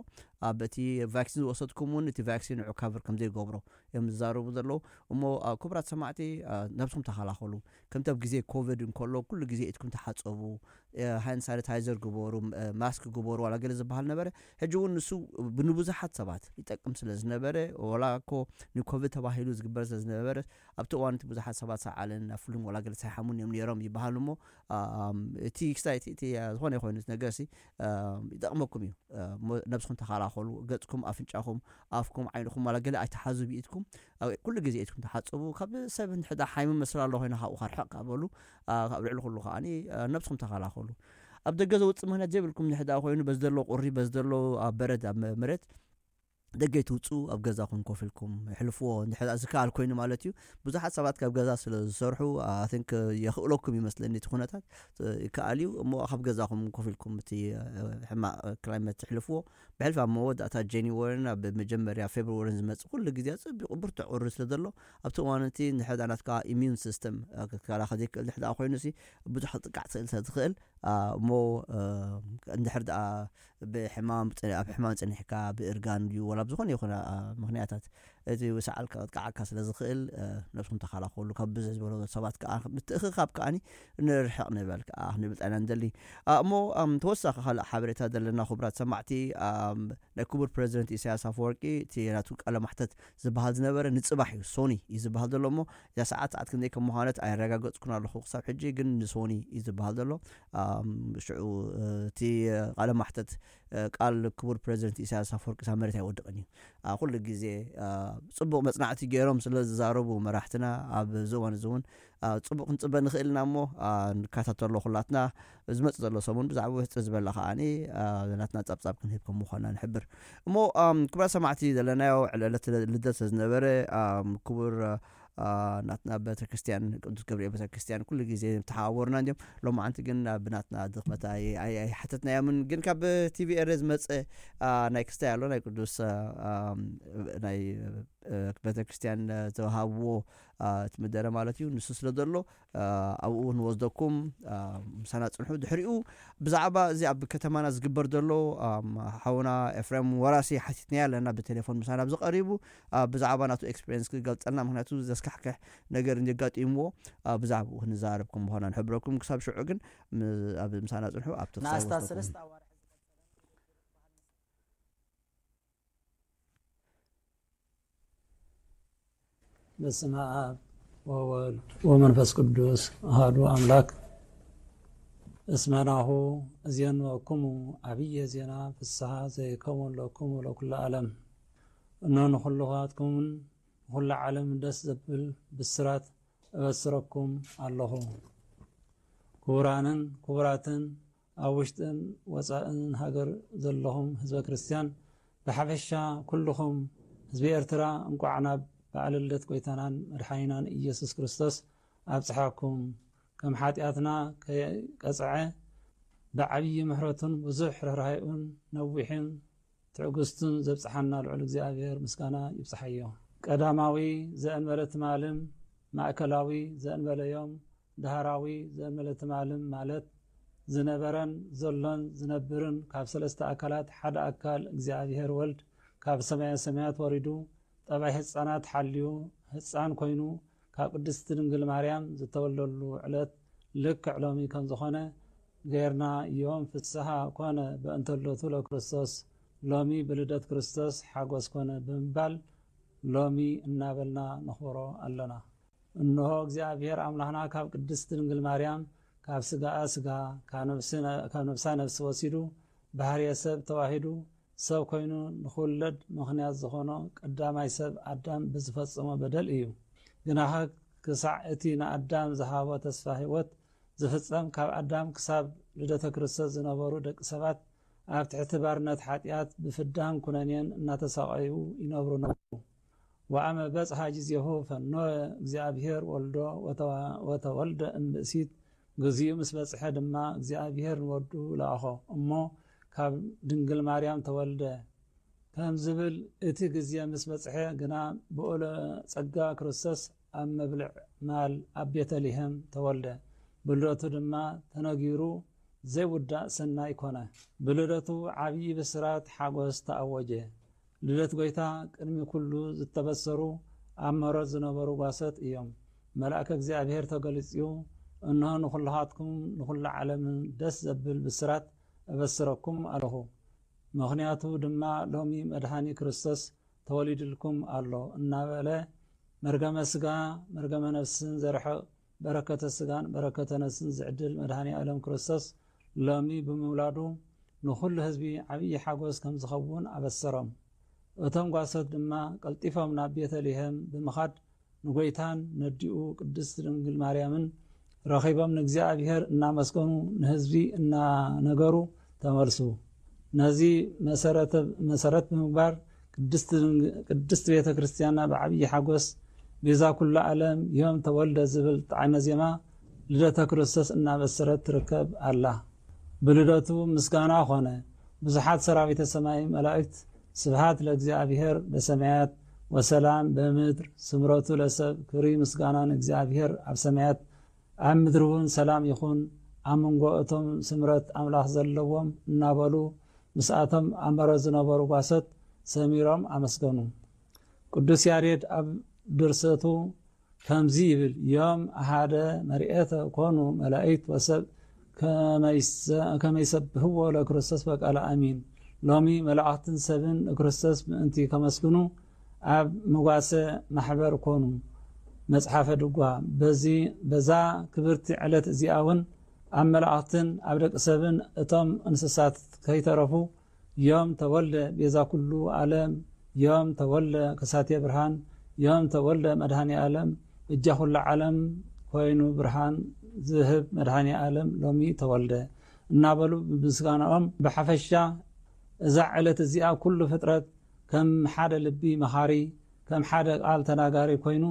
ኣብ እቲ ቫክሲን ዝወሰድኩም እውን እቲ ቫክሲን ንዑ ካቨር ከም ዘይገብሮ እዮም ዝዛረቡ ዘለዉ። እሞ፣ አ፣ ክቡራት ሰማዕቲ፣ አ፣ ነብስኹም ተኸላኸሉ። ከምቲ ኣብ ግዜ ኮቪድ እንከሎ ኩሉ ግዜ ኢድኩም ተሓጸቡ፣ እ፣ ሃንድ ሳኒታይዘር ግበሩ፣ ም-፣ እ፣ ማስክ ግበሩ፣ ዋላ ገለ ዝበሃል ነበረ። ሕጂ እውን ንሱ ብ-፣ ንብዙሓት ሰባት ይጠቅም ስለ ዝነበረ፣ ዋላ እኮ ንኮቪድ ተባሂሉ ዝግበር ስለ ዝነበረ ኣብቲ እዋን እቲ ብዙሓት ሰባት ሰዓልን ናብ ፍሉም ዋላ ገለ ሳይሓሙን እዮም ነይሮም ይበሃል እሞ እቲ ክስታይ እቲ ዝኾነ ይኮይኑ ነገር ሲ ይጠቕመኩም እዩ። ነብስኩም ተኸላኸሉ። ገጽኩም፣ ኣፍንጫኹም፣ ኣፍኩም፣ ዓይንኹም ዋላ ገለ ኣይተሓዙ ብኢድኩም። ኩሉ ግዜ ኢድኩም ተሓጽቡ። ካብ ሰብ ንሕዳ ሓይሚ መስላ ኣሎ ኮይና ካብኡ ርሕቕ ካበሉ ኣብ ልዕሊ ኩሉ ከዓኒ ነብስኩም ተኸላኸሉ። ኣብ ደገ ዘውፅእ ምክንያት ዘይብልኩም ንሕዳ ኮይኑ በዚ ዘሎ ቁሪ በዚ ዘሎ ኣብ በረድ ኣብ መሬት ደገ ትውፅኡ ኣብ ገዛኹም ኮፍ ኢልኩም ሕልፍዎ። እንድሕር ዝከኣል ኮይኑ ማለት እዩ። ብዙሓት ሰባት ካብ ገዛ ስለ ዝሰርሑ ኣትንክ የኽእለኩም ይመስለኒ እቲ ኩነታት ይከኣል እዩ እሞ ካብ ገዛኹም ኮፍ ኢልኩም እቲ ሕማቕ ክላይመት ትሕልፍዎ። ብሕልፊ ኣብ መወዳእታ ጀኒወርን ኣብ መጀመርያ ፌብርወርን ዝመፅእ ኩሉ ግዜ ፅቢቑ ብርቱዕ ቁሪ ስለ ዘሎ ኣብቲ እዋን እቲ ንሕዳ ናትካ ኢሚዩን ሲስተም ክትከላኸል ዘይክእል ንሕዳ ኮይኑ ሲ ብዙሕ ጥቃዕ ትኽእል ስለ ዝኽእል እሞ እንድሕር ደኣ ብሕማም ኣብ ሕማም ጸኒሕካ ብእርጋን ድዩ ወላ ብዝኾነ ይኹን ምክንያታት እቲ ሰዓል ከጥቅዓካ ስለ ዝኽእል ነብስኩም ተኸላኸሉ። ካብ ብዝሕ ዝበሎ ሰባት ከዓ ምትእኽኻብ ከዓኒ ንርሕቕ ንበል ከዓ ክንብል ጣይና ንደሊ። እሞ ተወሳኺ ካልእ ሓበሬታ ዘለና ክቡራት ሰማዕቲ ናይ ክቡር ፕሬዚደንት ኢሳያስ ኣፈወርቂ እቲ ናቱ ቃለ ማሕተት ዝበሃል ዝነበረ ንጽባሕ እዩ ሶኒ እዩ ዝበሃል ዘሎ እሞ እዛ ሰዓት ሰዓት ክንደይ ከም ምዃነት ኣየረጋገጽኩን ኣለኹ ክሳብ ሕጂ ግን ንሶኒ እዩ ዝበሃል ዘሎ። ሽዑ እቲ ቃለ ማሕተት ቃል ክቡር ፕሬዚደንት ኢሳያስ ኣፈወርቂ ሳብ መሬት ኣይወድቕን እዩ። ኩሉ ግዜ ጽቡቕ መጽናዕቲ ገይሮም ስለ ዝዛረቡ መራሕትና ኣብዚ እዋን እዚ እውን ጽቡቕ ክንጽበ ንኽእል ኢና እሞ ንከታተሎ ኩላትና ዝመጽእ ዘሎ ሰሙን ብዛዕባ ውሕጥር ዝበላ ከዓኒ ናትና ጸብጻብ ክንህብ ከም ምዃና ንሕብር። እሞ ክቡራት ሰማዕቲ ዘለናዮ ዕለት ልደት ዝነበረ ክቡር ናትና ቤተክርስትያን ቅዱስ ገብርኤል ቤተክርስትያን ኩሉ ግዜ ተሓዋወርና እንዲም ሎማዓንቲ ግን ብናትና ድኽመት ኣይሓተትናዮምን ግን ካብ ቲቪ ኤረ ዝመፀ ናይ ክስታይ ኣሎ ናይ ቅዱስ ናይ ቤተክርስትያን ዝተዋሃብዎ እቲ ምደረ ማለት እዩ ንሱ ስለ ዘሎ ኣብኡ ንወስደኩም ምሳና ፅንሑ ድሕሪኡ ብዛዕባ እዚ ኣብ ከተማና ዝግበር ዘሎ ሓውና ኤፍሬም ወራሲ ሓቲትናዮ ኣለና ብቴሌፎን ምሳና ኣብዚ ቀሪቡ ብዛዕባ ናቱ ኤክስፔሪንስ ክገልፀልና ምክንያቱ ዘስካሕክሕ ነገር እንዲጋጢምዎ ብዛዕባኡ ክንዛረብ ከም ምዃና ንሕብረኩም ክሳብ ሽዑ ግን ኣብ ምሳና ፅንሑ ኣብቲ ክሳብ ንኣስታት ወስደኩም ሰለስተ ኣዋርሕ በስመ ኣብ ወወልድ ወመንፈስ ቅዱስ ኣሃዱ ኣምላክ። እስመ ናሁ እዜንወክሙ ዓብየ ዜና ፍስሓ ዘይከውን ለክሙ ለኩሉ ዓለም። እነሆ ንኹልኻትኩምን ንኹሉ ዓለም ደስ ዘብል ብስራት እበስረኩም ኣለኹ። ክቡራንን ክቡራትን ኣብ ውሽጥን ወፃእን ሃገር ዘለኹም ህዝበ ክርስትያን ብሓፈሻ ኩልኹም ህዝቢ ኤርትራ እንቋዕ ናብ በዓለ ልደት ጎይታናን መድሓኒናን ኢየሱስ ክርስቶስ ኣብፅሓኩም። ከም ሓጢኣትና ከይቀፅዐ ብዓብዪ ምሕረቱን ብዙሕ ርህራሄኡን ነዊሕን ትዕግስቱን ዘብፅሓና ልዑል እግዚኣብሔር ምስጋና ይብፅሓዮ። ቀዳማዊ ዘእንበለ ትማልን ማእከላዊ ዘእንበለ ዮም ዳህራዊ ዘእንበለ ትማልን ማለት ዝነበረን ዘሎን ዝነብርን ካብ ሰለስተ ኣካላት ሓደ ኣካል እግዚኣብሔር ወልድ ካብ ሰማየ ሰማያት ወሪዱ ጠባይ ህፃናት ሓልዩ ህፃን ኮይኑ ካብ ቅድስቲ ድንግል ማርያም ዝተወልደሉ ዕለት ልክዕ ሎሚ ከምዝኾነ ገይርና እዮም። ፍስሃ ኮነ በእንተ ልደቱ ለክርስቶስ ሎሚ ብልደት ክርስቶስ ሓጎስ ኮነ ብምባል ሎሚ እናበልና ነኽብሮ ኣለና። እንሆ እግዚኣብሔር ኣምላኽና ካብ ቅድስቲ ድንግል ማርያም ካብ ስጋኣ ስጋ ካብ ነብሳ ነብሲ ወሲዱ ባህርየ ሰብ ተዋሂዱ ሰብ ኮይኑ ንኽውለድ ምኽንያት ዝኾኖ ቀዳማይ ሰብ ኣዳም ብዝፈጸሞ በደል እዩ። ግናኸ ክሳዕ እቲ ንኣዳም ዝሃቦ ተስፋ ህይወት ዝፍጸም ካብ ኣዳም ክሳብ ልደተ ክርስቶስ ዝነበሩ ደቂ ሰባት ኣብ ትሕቲ ባርነት ሓጢኣት ብፍዳን ኩነኔን እናተሳቐዩ ይነብሩ ነበሩ። ወአመ በጽሐ ጊዜሁ ፈኖ እግዚኣብሔር ወልዶ ወተወልደ እምብእሲት ግዚኡ ምስ በጽሐ ድማ እግዚኣብሔር ንወዱ ለኣኾ እሞ ካብ ድንግል ማርያም ተወልደ ከም ዝብል እቲ ግዜ ምስ በጽሐ ግና ብኡለ ጸጋ ክርስቶስ ኣብ መብልዕ ማል ኣብ ቤተልሔም ተወልደ። ብልደቱ ድማ ተነጊሩ ዘይውዳእ ሰናይ ኮነ። ብልደቱ ዓብዪ ብስራት ሓጎስ ተኣወጀ። ልደት ጐይታ ቅድሚ ኩሉ ዝተበሰሩ ኣብ መሮት ዝነበሩ ጓሶት እዮም። መልኣከ እግዚኣብሔር ተገሊጽዩ እንሆ ንኹልኻትኩም ንኹሉ ዓለምን ደስ ዘብል ብስራት እበስረኩም ኣለኹ። ምኽንያቱ ድማ ሎሚ መድኃኒ ክርስቶስ ተወሊድልኩም ኣሎ እናበለ መርገመ ስጋ መርገመ ነፍስን ዘርሕቕ በረከተ ስጋን በረከተ ነፍስን ዝዕድል መድኃኔ ዓለም ክርስቶስ ሎሚ ብምውላዱ ንኹሉ ህዝቢ ዓብዪ ሓጎስ ከም ዝኸውን ኣበሰሮም። እቶም ጓሶት ድማ ቀልጢፎም ናብ ቤተልሔም ብምኻድ ንጎይታን ነዲኡ ቅድስት ድንግል ማርያምን ረኺቦም ንእግዚኣብሔር እናመስገኑ ንህዝቢ እናነገሩ ተመልሱ። ነዚ መሰረተ-፣ መሰረት ብምግባር ቅድስት ድንግ-፣ ቅድስት ቤተ ክርስቲያንና ብዓብዪ ሓጎስ ቤዛ ኩሉ ዓለም ዮም ተወልደ ዝብል ጣዕመ ዜማ ልደተ ክርስቶስ እናበሰረት ትርከብ ኣላ። ብልደቱ ምስጋና ኾነ። ብዙሓት ሰራዊተ ሰማይ መላእክት ስብሃት ለእግዚኣብሔር በሰማያት ወሰላም በምድር ስምረቱ ለሰብ ክብሪ ምስጋና ንእግዚኣብሔር ኣብ ሰማያት ኣብ ምድሪ እውን ሰላም ይኹን ኣብ መንጎ እቶም ስምረት ኣምላኽ ዘለዎም እናበሉ ምስኣቶም ኣብ መረት ዝነበሩ ጓሶት ሰሚሮም ኣመስገኑ። ቅዱስ ያሬድ ኣብ ድርሰቱ ከምዚ ይብል፣ ዮም ኣሃደ መርኤተ ኮኑ መላእክት ወሰብ ከመይሰ-፣ ከመይሰብህዎ ለክርስቶስ በቃለ ኣሚን። ሎሚ መላእኽትን ሰብን ንክርስቶስ ምእንቲ ከመስግኑ ኣብ መጓሰ ማሕበር ኮኑ። መጽሓፈ ድጓ። በዚ፣ በዛ ክብርቲ ዕለት እዚኣ እውን ኣብ መላእኽትን ኣብ ደቂ ሰብን እቶም እንስሳት ከይተረፉ ዮም ተወልደ ቤዛ ኩሉ ዓለም፣ ዮም ተወልደ ከሳቴ ብርሃን፣ ዮም ተወልደ መድኃኔ ዓለም፣ እጃ ኩሉ ዓለም ኮይኑ ብርሃን ዝህብ መድኃኔ ዓለም ሎሚ ተወልደ እናበሉ ብምስጋናኦም ብሓፈሻ እዛ ዕለት እዚኣ ኩሉ ፍጥረት ከም ሓደ ልቢ መኻሪ፣ ከም ሓደ ቃል ተናጋሪ ኮይኑ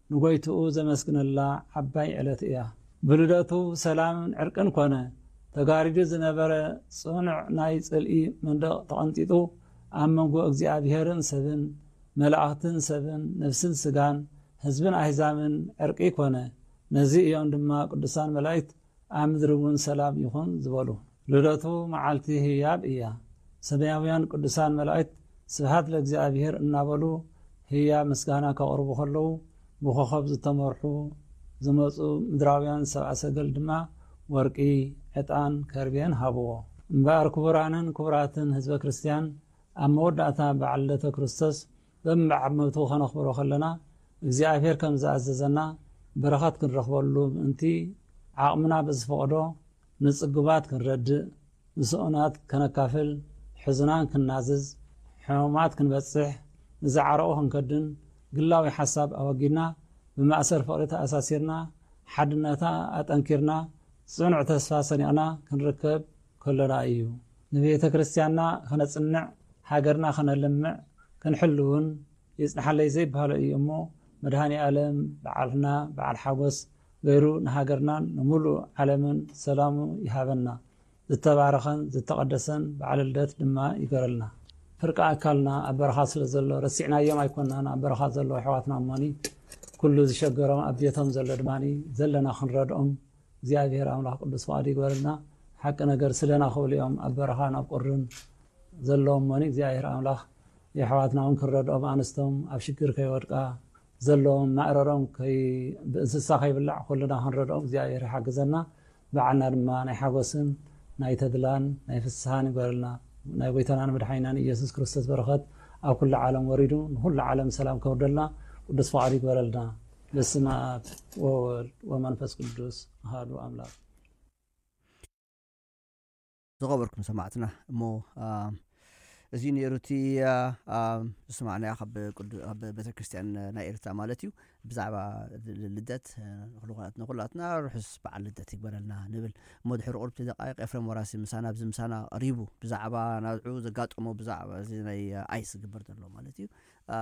ንጎይትኡ ዘመስግነላ ዓባይ ዕለት እያ። ብልደቱ ሰላምን ዕርቅን ኮነ። ተጋሪዱ ዝነበረ ጽኑዕ ናይ ጽልኢ መንደቕ ተቐንጢጡ፣ ኣብ መንጎ እግዚኣብሔርን ሰብን፣ መላእኽትን ሰብን፣ ነፍስን ስጋን፣ ህዝብን ኣህዛብን ዕርቂ ኮነ። ነዚ እዮም ድማ ቅዱሳን መላእክት ኣብ ምድሪ እውን ሰላም ይኹን ዝበሉ። ልደቱ መዓልቲ ህያብ እያ። ሰማያውያን ቅዱሳን መላእክት ስብሐት ለእግዚኣብሔር እናበሉ ህያብ ምስጋና ከቕርቡ ከለዉ፣ ብኾኸብ ዝተመርሑ ዝመጹ ምድራውያን ሰብኣ ሰገል ድማ ወርቂ፣ ዕጣን፣ ከርቤን ሃብዎ። እምበኣር ክቡራንን ክቡራትን ህዝበ ክርስቲያን፣ ኣብ መወዳእታ በዓል ልደተ ክርስቶስ በብዓመቱ ኸነኽብሮ ኸለና፣ እግዚኣብሔር ከም ዝኣዘዘና በረኸት ክንረኽበሉ ምእንቲ፣ ዓቕምና ብዝፈቕዶ ንጽጉባት ክንረድእ፣ ንስኡናት ከነካፍል፣ ሕዙናን ክንናዝዝ፣ ሕሙማት ክንበጽሕ፣ ንዝዓረቑ ክንከድን፣ ግላዊ ሓሳብ ኣወጊድና፣ ብማእሰር ፍቕሪ ተኣሳሲርና፣ ሓድነታ ኣጠንኪርና፣ ጽኑዕ ተስፋ ሰኒቕና ክንርከብ ከሎና እዩ። ንቤተ ክርስቲያንና ከነጽንዕ፣ ሃገርና ከነልምዕ፣ ክንሕልውን ይጽንሓለይ ዘይበሃሎ እዩ እሞ፣ መድኃኔ ዓለም በዓልና በዓል ሓጎስ ገይሩ ንሃገርናን ንምሉእ ዓለምን ሰላሙ ይሃበና። ዝተባረኸን ዝተቐደሰን በዓለ ልደት ድማ ይገረልና። ፍርቂ ኣካልና ኣብ በረኻ ስለ ዘሎ ረሲዕናዮም ኣይኮናን። ኣብ በረኻ ዘለዉ ኣሕዋትና እሞኒ፣ ኩሉ ዝሸገሮም ኣብ ቤቶም ዘሎ ድማኒ ዘለና ክንረድኦም እግዚኣብሔር ኣምላኽ ቅዱስ ፍቓዱ ይግበረልና። ሓቂ ነገር ስለና ክብሉ እዮም ኣብ በረኻ ናብ ቁርን ዘለዎም እሞኒ እግዚኣብሔር ኣምላኽ የሕዋትና እውን ክንረድኦም፣ ኣንስቶም ኣብ ሽግር ከይወድቃ ዘለዎም ማእረሮም ከይ-፣ ብእንስሳ ከይብላዕ ኩልና ክንረድኦም እግዚኣብሔር ይሓግዘና። በዓልና ድማ ናይ ሓጎስን ናይ ተድላን ናይ ፍስሃን ይግበረልና። ናይ ጎይታናን መድሓኒናን ኢየሱስ ክርስቶስ በረኸት ኣብ ኩሉ ዓለም ወሪዱ ንኩሉ ዓለም ሰላም ከውርደልና ቅዱስ ፍቓዱ ይግበረልና። በስመ ኣብ ወወልድ ወመንፈስ ቅዱስ ኣሃዱ ኣምላክ። ዝኸበርኩም ሰማዕትና፣ እሞ፣ አ፣ እዚ ነይሩ እቲ፣ አ፣ አ፣ ዝሰማዕናዮ ካብ ቅዱ-፣ ካብ ቤተክርስትያን ናይ ኤርትራ ማለት እዩ። ብዛዕባ ል-፣ ልደት፣ አ፣ ንኹሉ-፣ ንኹላትና ርሑስ በዓል ልደት ይግበረልና ንብል። እሞ ድሕሪ ቁሩብ ደቃይቕ ኤፍሬም ወራሲ ምሳና፣ ኣብዚ ምሳና ቀሪቡ፣ ብዛዕባ ናብዑ ዘጋጠሞ፣ ብዛዕባ እዚ ናይ፣ አ፣ ኣይስ ዝግበር ዘሎ ማለት እዩ። አ፣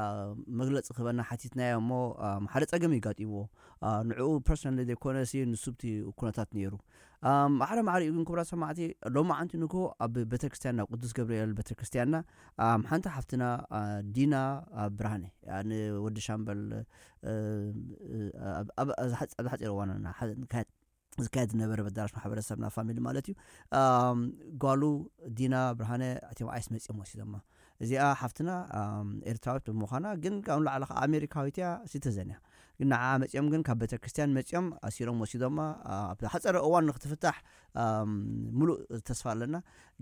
መግለጺ ክህበና ሓቲትናዮ እሞ፣ አ፣ ሓደ ጸገም እዩ ጋጢምዎ። አ፣ ንዕኡ ፐርሰናሊ ዘይኮነ ሲ ንሱ ብቲ ኩነታት ነይሩ። አ፣ ማዕረ ማዕሪኡ ግን ክቡራት ሰማዕቲ፣ ሎማዓንቲ ንግሆ ኣብ ቤተክርስትያንና፣ ቅዱስ ገብርኤል ቤተክርስትያንና፣ አ፣ ሓንቲ ሓፍትና፣ አ፣ ዲና፣ አ፣ ብርሃነ፣ አ፣ ንወዲ ሻምበል፣ እ፣ ኣብ፣ ኣብ፣ ኣብ ዝሓጽ-፣ ኣብ ዝሓጺር እዋን ና-፣ ሓ-፣ ንካየድ ዝካየድ ዝነበረ በዳራሽ ማሕበረሰብና ፋሚሊ ማለት እዩ። ኣም፣ ጓሉ ዲና ብርሃነ እቲኦም ኣይስ መጺኦም ወሲዶማ። እዚኣ ሓፍትና፣ ኣም፣ ኤርትራዊት ብምዃና ግን ካብኡ ንላዕሊ ከዓ ኣሜሪካዊት እያ፣ ሲቲዘን እያ። ግን ንዓ መጺኦም ግን ካብ ቤተክርስትያን መጺኦም ኣሲሮም ወሲዶማ። ኣብ ሓጸረ እዋን ንክትፍታሕ ሙሉእ ተስፋ ኣለና።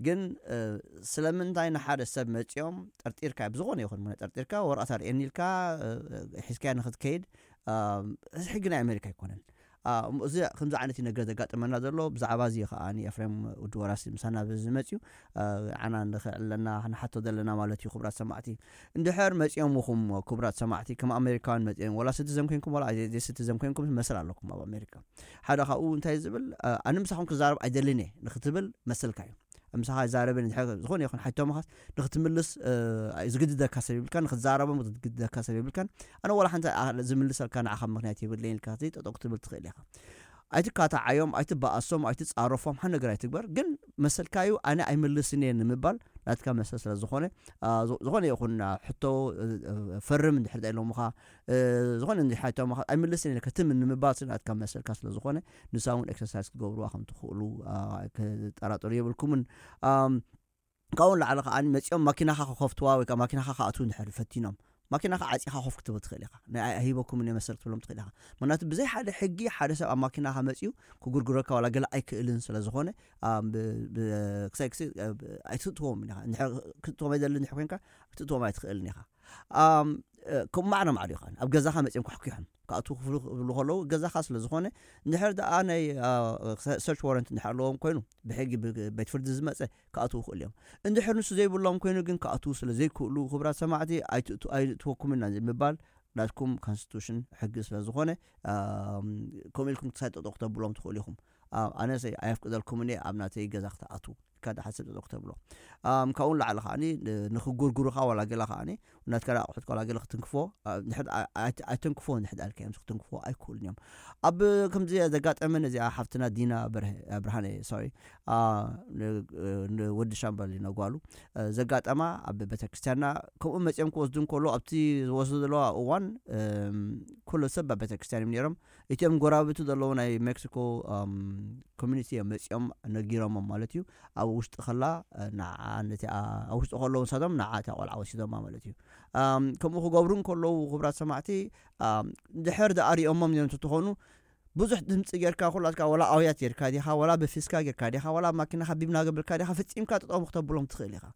ግን ስለምንታይ ንሓደ ሰብ መጺኦም ጠርጢርካ ብዝኾነ ይኹን ምነ ጠርጢርካ ወረቐት ኣርእየኒ ኢልካ ሒዝካያ ንክትከይድ? እዚ ሕጊ ናይ ኣሜሪካ ኣይኮነን። እዚ ከምዚ ዓይነት ነገር ዘጋጥመና ዘሎ ብዛዕባ እዚ ከዓኒ ኤፍሬም ውዲ ወራሲ ምሳና ብዝመፅዩ ዓና ንኽዕለና ንሓቶ ዘለና ማለት እዩ። ክቡራት ሰማዕቲ፣ እንድሕር መፂኦምኹም ክቡራት ሰማዕቲ ከም ኣሜሪካውያን መፂኦም ወላ ስቲዘን ኮይንኩም ወላ ዘይስቲዘን ኮይንኩም መሰል ኣለኩም ኣብ ኣሜሪካ። ሓደ ካብኡ እንታይ ዝብል ኣነ ምሳኹም ክዛረብ ኣይደልን እየ ንክትብል መሰልካ እዩ። ምሳኻ ይዛረብን ዝኾነ ይኹን ሓይቶምኻስ ንክትምልስ ዝግድደካ ሰብ ይብልካ፣ ንክትዛረቦም ዝግድደካ ሰብ ይብልካን ኣነ ዋላ ሓንቲ ዝምልሰልካ ንዓኻ ምክንያት የብለይን ኢልካ ጠጠው ክትብል ትኽእል ኢኻ። ኣይትካታዓዮም፣ ኣይትበኣሶም፣ ኣይትፃረፎም፣ ሓን ነገር ኣይትግበር። ግን መሰልካዩ ኣነ ኣይምልስን እየ ንምባል ናትካ መሰል ስለ ዝኾነ ዝኾነ ይኹን ሕቶ ፈርም እንድሕር ኢሎምኻ ዝኾነ እንዲ ሓይቶምኻ ኣይምልስን እየ ክትም ንምባል ናትካ መሰልካ ስለ ዝኾነ ንሳ እውን ኤክሰርሳይዝ ክትገብርዋ ከም ትኽእሉ ክጠራጠሩ የብልኩምን። ካብኡ ንላዕሊ ከዓ መፂኦም ማኪናኻ ክኸፍትዋ ወይ ከዓ ማኪናኻ ክኣትዉ እንድሕር ፈቲኖም ማኪናኻ ዓፂኻ ኮፍ ክትብል ትኽእል ኢኻ። ናይ ሂበኩም እየ መሰል ክትብሎም ትኽእል ኢኻ። ምክንያቱ ብዘይ ሓደ ሕጊ ሓደ ሰብ ኣብ ማኪናኻ መፂኡ ክጉርጉረካ ዋላ ገለ ኣይክእልን ስለ ዝኾነ ክሳይ ክሲ ኣይትእትዎም ኢኻ። ክትእትዎም ኣይደልን እንድሕር ኮይንካ ክትእትዎም ኣይትኽእልን ኢኻ። ከም ማዕረ ማዕረ ይኸውን ኣብ ገዛኻ መፂኦም ክሕኩሖም ክኣትዉ ክፍሉ ክብሉ ከለዉ ገዛኻ ስለ ዝኾነ እንድሕር ደኣ ናይ ሰርች ዋረንት እንድሕር ኣለዎም ኮይኑ ብሕጊ ቤት ፍርዲ ዝመፀ ክኣትዉ ይኽእሉ እዮም። እንድሕር ንሱ ዘይብሎም ኮይኑ ግን ክኣትዉ ስለ ዘይክእሉ ክቡራት ሰማዕቲ ኣይትእትወኩም ኢና ምባል ናትኩም ኮንስቲቱሽን ሕጊ ስለ ዝኾነ ከምኡ ኢልኩም ክሳይ ጠጠው ክተብሎም ትኽእሉ ኢኹም። ኣነሰ ኣየፍቅደልኩምን እየ ኣብ ናተይ ገዛ ክትኣትዉ ኢልካ ደሓን ሰብ ጠጠው ክተብሎ። ካብኡ ንላዕሊ ከዓኒ ንክጉርጉሩኻ ዋላ ገላ ከዓኒ ናትካ ኣቑሑት ዋላ ገለ ክትንክፎ ኣይተንክፎ እንድሕር ዳልካ እዮም ክትንክፎ ኣይክእሉን እዮም። ኣብ ከምዚ ዘጋጠመን እዚኣ ሓፍትና ዲና ብርሃነ ሶሪ ንወዲ ሻምበል ነጓሉ ዘጋጠማ ኣብ ቤተክርስትያንና ከምኡ መፂኦም ክወስዱ እንከሎ ኣብቲ ዝወስዱ ዘለዋ እዋን ኩሉ ሰብ ኣብ ቤተክርስትያን እዮም ነይሮም። እቲኦም ጎራብቲ ዘለዉ ናይ ሜክሲኮ ኮሚኒቲ እዮም መፂኦም ነጊሮሞም ማለት እዩ። ኣብ ውሽጢ ከላ ንዓ ነቲኣ ኣብ ውሽጢ ከለዉ ንሳቶም ንዓ እቲኣ ቆልዓ ወሲዶማ ማለት እዩ። ከምኡ ክገብሩ እንከለዉ ክቡራት ሰማዕቲ ድሕር ደኣ ሪኦሞም እዮም እንተትኾኑ ብዙሕ ድምፂ ጌርካ ኩላትካ ወላ ኣውያት ጌርካ ዲኻ ወላ ብፊስካ ጌርካ ዲኻ ወላ ኣብ ማኪናኻ ቢብና ገብርካ ዲኻ ፍፂምካ ጠጠሙ ክተብሎም ትኽእል ኢኻ።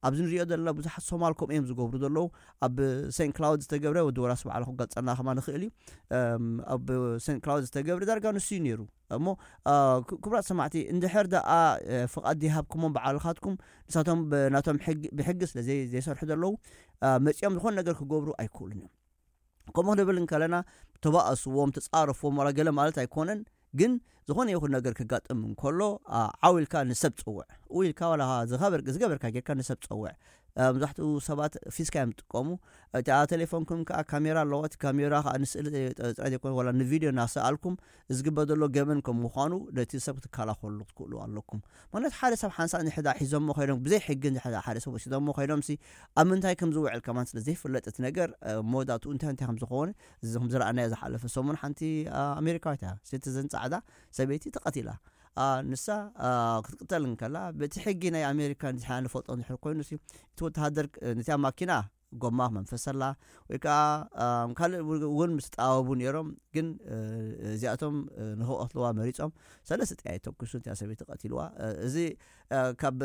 ኣብዚ ንሪኦ ዘለና ብዙሓት ሶማል ከምኡ እዮም ዝገብሩ ዘለዉ። ኣብ ሴንት ክላውድ ዝተገብረ ወዲ ወራስ ባዕሉ ክገልፀልና ከማ ንኽእል እዩ። ኣብ ሴንት ክላውድ ዝተገብረ ዳርጋ ንሱ እዩ ነይሩ። እሞ ክቡራት ሰማዕቲ እንድሕር ደኣ ፍቓድ ይሃብኩሞም በዓልኻትኩም ንሳቶም ናቶም ብሕጊ ስለ ዘይሰርሑ ዘለዉ መፂኦም ዝኾነ ነገር ክገብሩ ኣይክእሉን እዮም። ከምኡ ክንብል እንከለና ተባእስዎም ተፃረፍዎም ዋላ ገለ ማለት ኣይኮነን። ግን ዝኾነ ይኹን ነገር ክጋጥም እንከሎ ዓው ኢልካ ንሰብ ፀውዕ። ው ኢልካ ዋላ ዝገበርካ ጌርካ ንሰብ ፀውዕ። መብዛሕትኡ ሰባት ፊስካ እዮም ዝጥቀሙ። እቲኣ ቴሌፎንኩም ከዓ ካሜራ ኣለዋ። እቲ ካሜራ ከዓ ንስእሊ ጥራይ ዘይኮነ ዋላ ንቪድዮ እናሰኣልኩም ዝግበር ዘሎ ገበን ከም ምዃኑ ነቲ ሰብ ክትከላኸሉ ክትክእሉ ኣለኩም። ማለት ሓደ ሰብ ሓንሳእ ንሕዳ ሒዞሞ ኮይኖም ብዘይ ሕጊ ንሕዳ ሓደ ሰብ ወሲዶሞ ኮይኖም ሲ ኣብ ምንታይ ከም ዝውዕል ከማን ስለ ዘይፍለጥ እቲ ነገር መወዳእትኡ እንታይ እንታይ ከም ዝኾነ እዚ ከም ዝረኣናዮ ዝሓለፈ ሰሙን ሓንቲ ኣሜሪካዊት እያ ሲቲዘን ፃዕዳ ሰበይቲ ተቐቲላ። ንሳ ክትቅተል እንከላ በቲ ሕጊ ናይ ኣሜሪካ ንዝሓ ንፈልጦ እንድሕር ኮይኑ ሲ እቲ ወተሃደር ነቲያ ማኪና ጎማ ክመንፈሰላ ወይ ከዓ ካልእ እውን ምስ ጠዋወቡ ነይሮም። ግን እዚኣቶም ንክቐትልዋ መሪፆም ሰለስተ ጥያ ተኩሱ እቲያ ሰበይቲ ቀቲልዋ። እዚ ካብ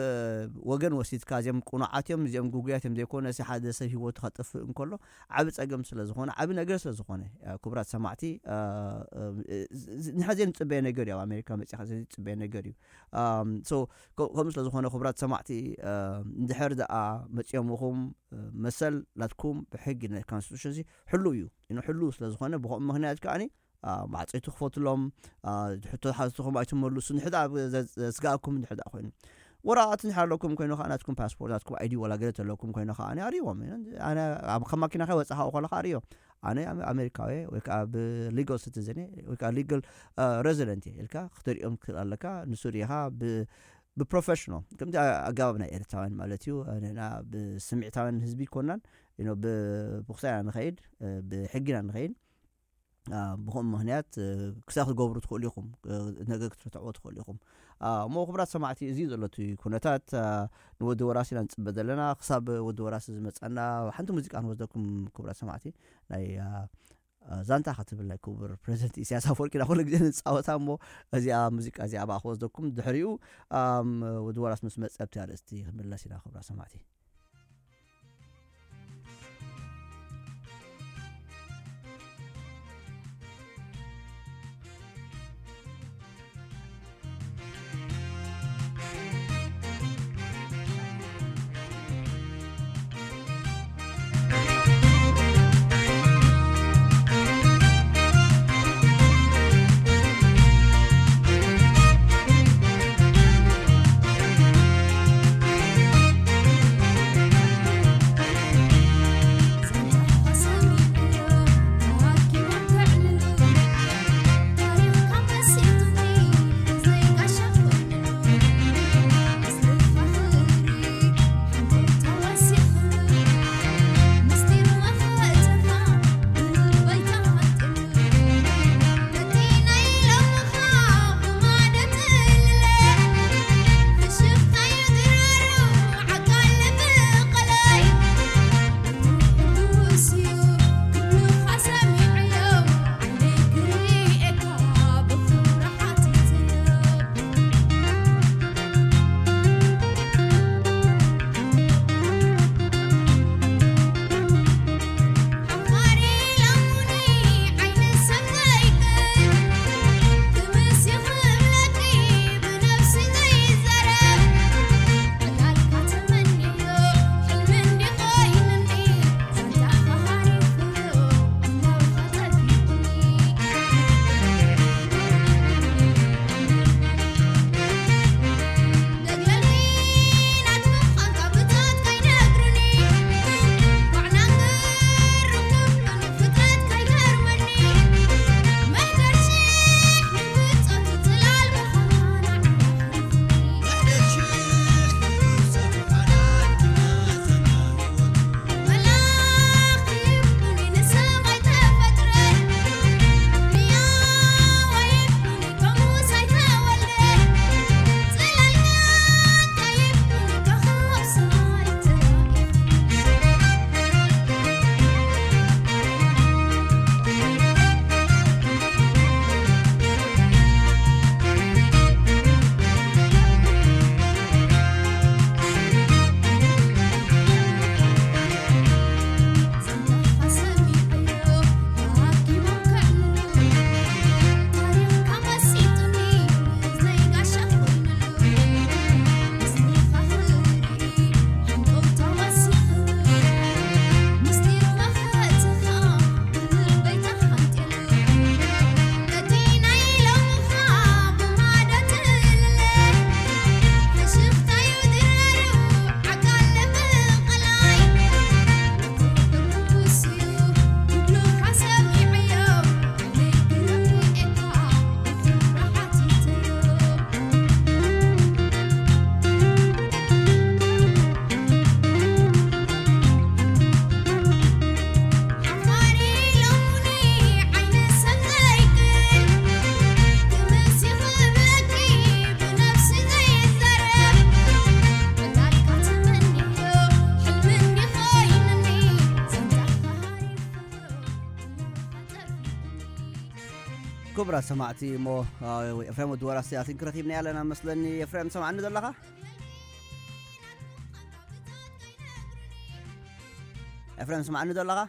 ወገን ወሲድካ እዚኦም ቁኑዓት እዮም እዚኦም ጉጉያት እዮም ዘይኮነ ሲ ሓደ ሰብ ሂወቱ ከጥፍእ እንከሎ ዓቢ ፀገም ስለ ዝኾነ ዓቢ ነገር ስለ ዝኾነ ክቡራት ሰማዕቲ ንሓ ዘይንፅበየ ነገር እዩ። ኣብ ኣሜሪካ መፂኻ ዘይፅበየ ነገር እዩ። ከምኡ ስለ ዝኾነ ክቡራት ሰማዕቲ እንድሕር ደኣ መፂኦምኹም መሰል ናትኩም ብሕጊ ናይ ኮንስቲቱሽን ሕሉ እዩ። ሕሉ ስለ ዝኾነ ብኸምኡ ምክንያት ከዓኒ ማዕፀይቲ ክፈትሎም ሕቶ ሓዝትኹም ኣይትመልሱ ንሕዳ ስጋኣኩም እንድሕዳ ኮይኑ ወረቓቕቲ እንድሕር ኣለኩም ኮይኑ ከዓ ናትኩም ፓስፖርት ናትኩም ኣይዲ ወላ ገለ ተለኩም ኮይኑ ከዓ ኣነ ኣርእዎም። ኣነ ኣብ ከም ማኪና ከይወፃኻ ከለካ ኣርእዮ ኣነ ኣሜሪካዊ ወይ ከዓ ብሊጋል ሲቲዘን ወይ ከዓ ሊጋል ሬዚደንት እየ ኢልካ ክተሪኦም ትክእል ኣለካ። ንሱ ሪኢኻ ብፕሮፌሽናል ከምቲ ኣገባብ ናይ ኤርትራውያን ማለት እዩ። ንሕና ብስምዒታውያን ህዝቢ ይኮናን ብብክሳይ ኢና ንኸይድ ብሕጊ ኢና ንኸይድ። ብኸምኡ ምክንያት ክሳብ ክትገብሩ ትኽእሉ ኢኹም። ነገር ክትረትዕዎ ትኽእሉ ኢኹም። እሞ ክቡራት ሰማዕቲ እዚ እዩ ዘሎ እቲ ኩነታት። ንወዲ ወራሲ ኢና ንፅበ ዘለና ክሳብ ወዲ ወራሲ ዝመፀና ሓንቲ ሙዚቃ ንወስደኩም ክቡራት ሰማዕቲ ናይ ዛንታ ክትብል ናይ ክቡር ፕሬዚደንት ኢሳያስ ኣፈወርቂ ኢና ኩሉ ግዜ ንፃወታ። እሞ እዚኣ ሙዚቃ እዚኣ ብኣ ክወስደኩም፣ ድሕሪኡ ወዲ ወራስ ምስ መፀ ኣብቲ ኣርእስቲ ክንምለስ ኢና። ክብራ ሰማዕቲ፣ ክቡራት ሰማዕቲ፣ እሞ ኤፍሬም ወዲ ወራስ ኣቲንክ ረኺብና ኣለና መስለኒ። ኤፍሬም፣ ሰማዕኒ ዘለኻ? ኤፍሬም፣ ስማዕኒ ዘለኻ?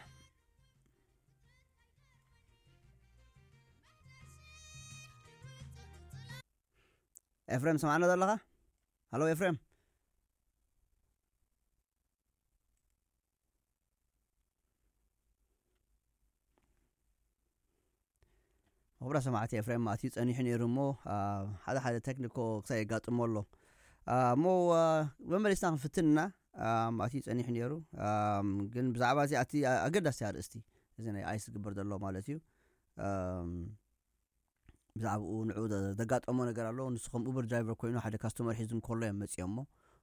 ኤፍሬም፣ ስማዕኒ ዘለኻ? ሃሎ ኤፍሬም። ክቡራ ሰማዕቲ፣ ኤፍሬም ኣትዩ ጸኒሑ ነይሩ እሞ፣ አ፣ ሓደ ሓደ ቴክኒኮ ክሳብ የጋጥሞ ኣሎ። አ፣ እሞ፣ አ፣ መመሊስና ክንፍትን ኢና። አ፣ ኣትዩ ጸኒሑ ነይሩ። አ፣ ግን ብዛዕባ እዚ ኣቲ ኣገዳሲ ኣርእስቲ፣ እዚ ናይ ኣይስ ዝግበር ዘሎ ማለት እዩ። አ፣ ብዛዕባኡ ንዕኡ ዘ-፣ ዘጋጠሞ ነገር ኣሎ። ንሱ ከም ኡበር ድራይቨር ኮይኑ ሓደ ካስተመር ሒዙ እንከሎ እዮም መጺኦሞ።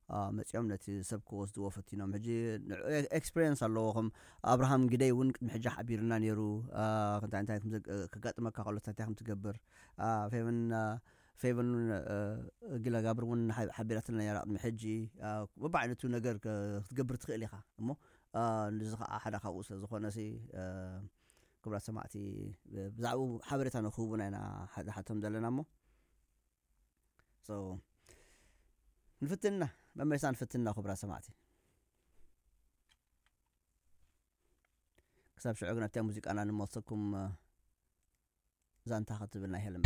አ፣ መጺኦም ነቲ ሰብ ክወስድዎ ፈቲኖም። ሕጂ ንዕኡ ኤ-፣ ኤክስፒሪየንስ ኣለዎ። ከም ኣብርሃም ግደይ እውን ቅድሚ ሕጂ ሓቢርና ነይሩ። አ፣ እንታይ እንታይ ከም ዘግ-፣ ከጋጥመካ ከሎ እንታይ እንታይ ከም ትገብር። አ፣ ፌቨን፣ አ፣ ፌቨን እውን፣ አ፣ ጊላጋብር እውን ሓ-፣ ሓቢራትና ነይራ ቅድሚ ሕጂ። አ፣ በብዓይነቱ ነገር ከ-፣ ክትገብር ትኽእል ኢኻ። እሞ፣ አ፣ ንዚ ኸዓ ሓደ ካብኡ ስለ ዝኾነ ሲ፣ አ፣ ክቡራት ሰማዕቲ፣ ብዛዕባኡ ሓበሬታ ንክህቡና ኢና ዝሓቶም ዘለና እሞ። So፣ ንፍትና፣ መመሊስና ንፍትና፣ ክቡራት ሰማዕቲ። ክሳብ ሽዑ ግን ኣብታ ሙዚቃና ንመልሰኩም። ዛንታ ክትብል ናይ ሄለን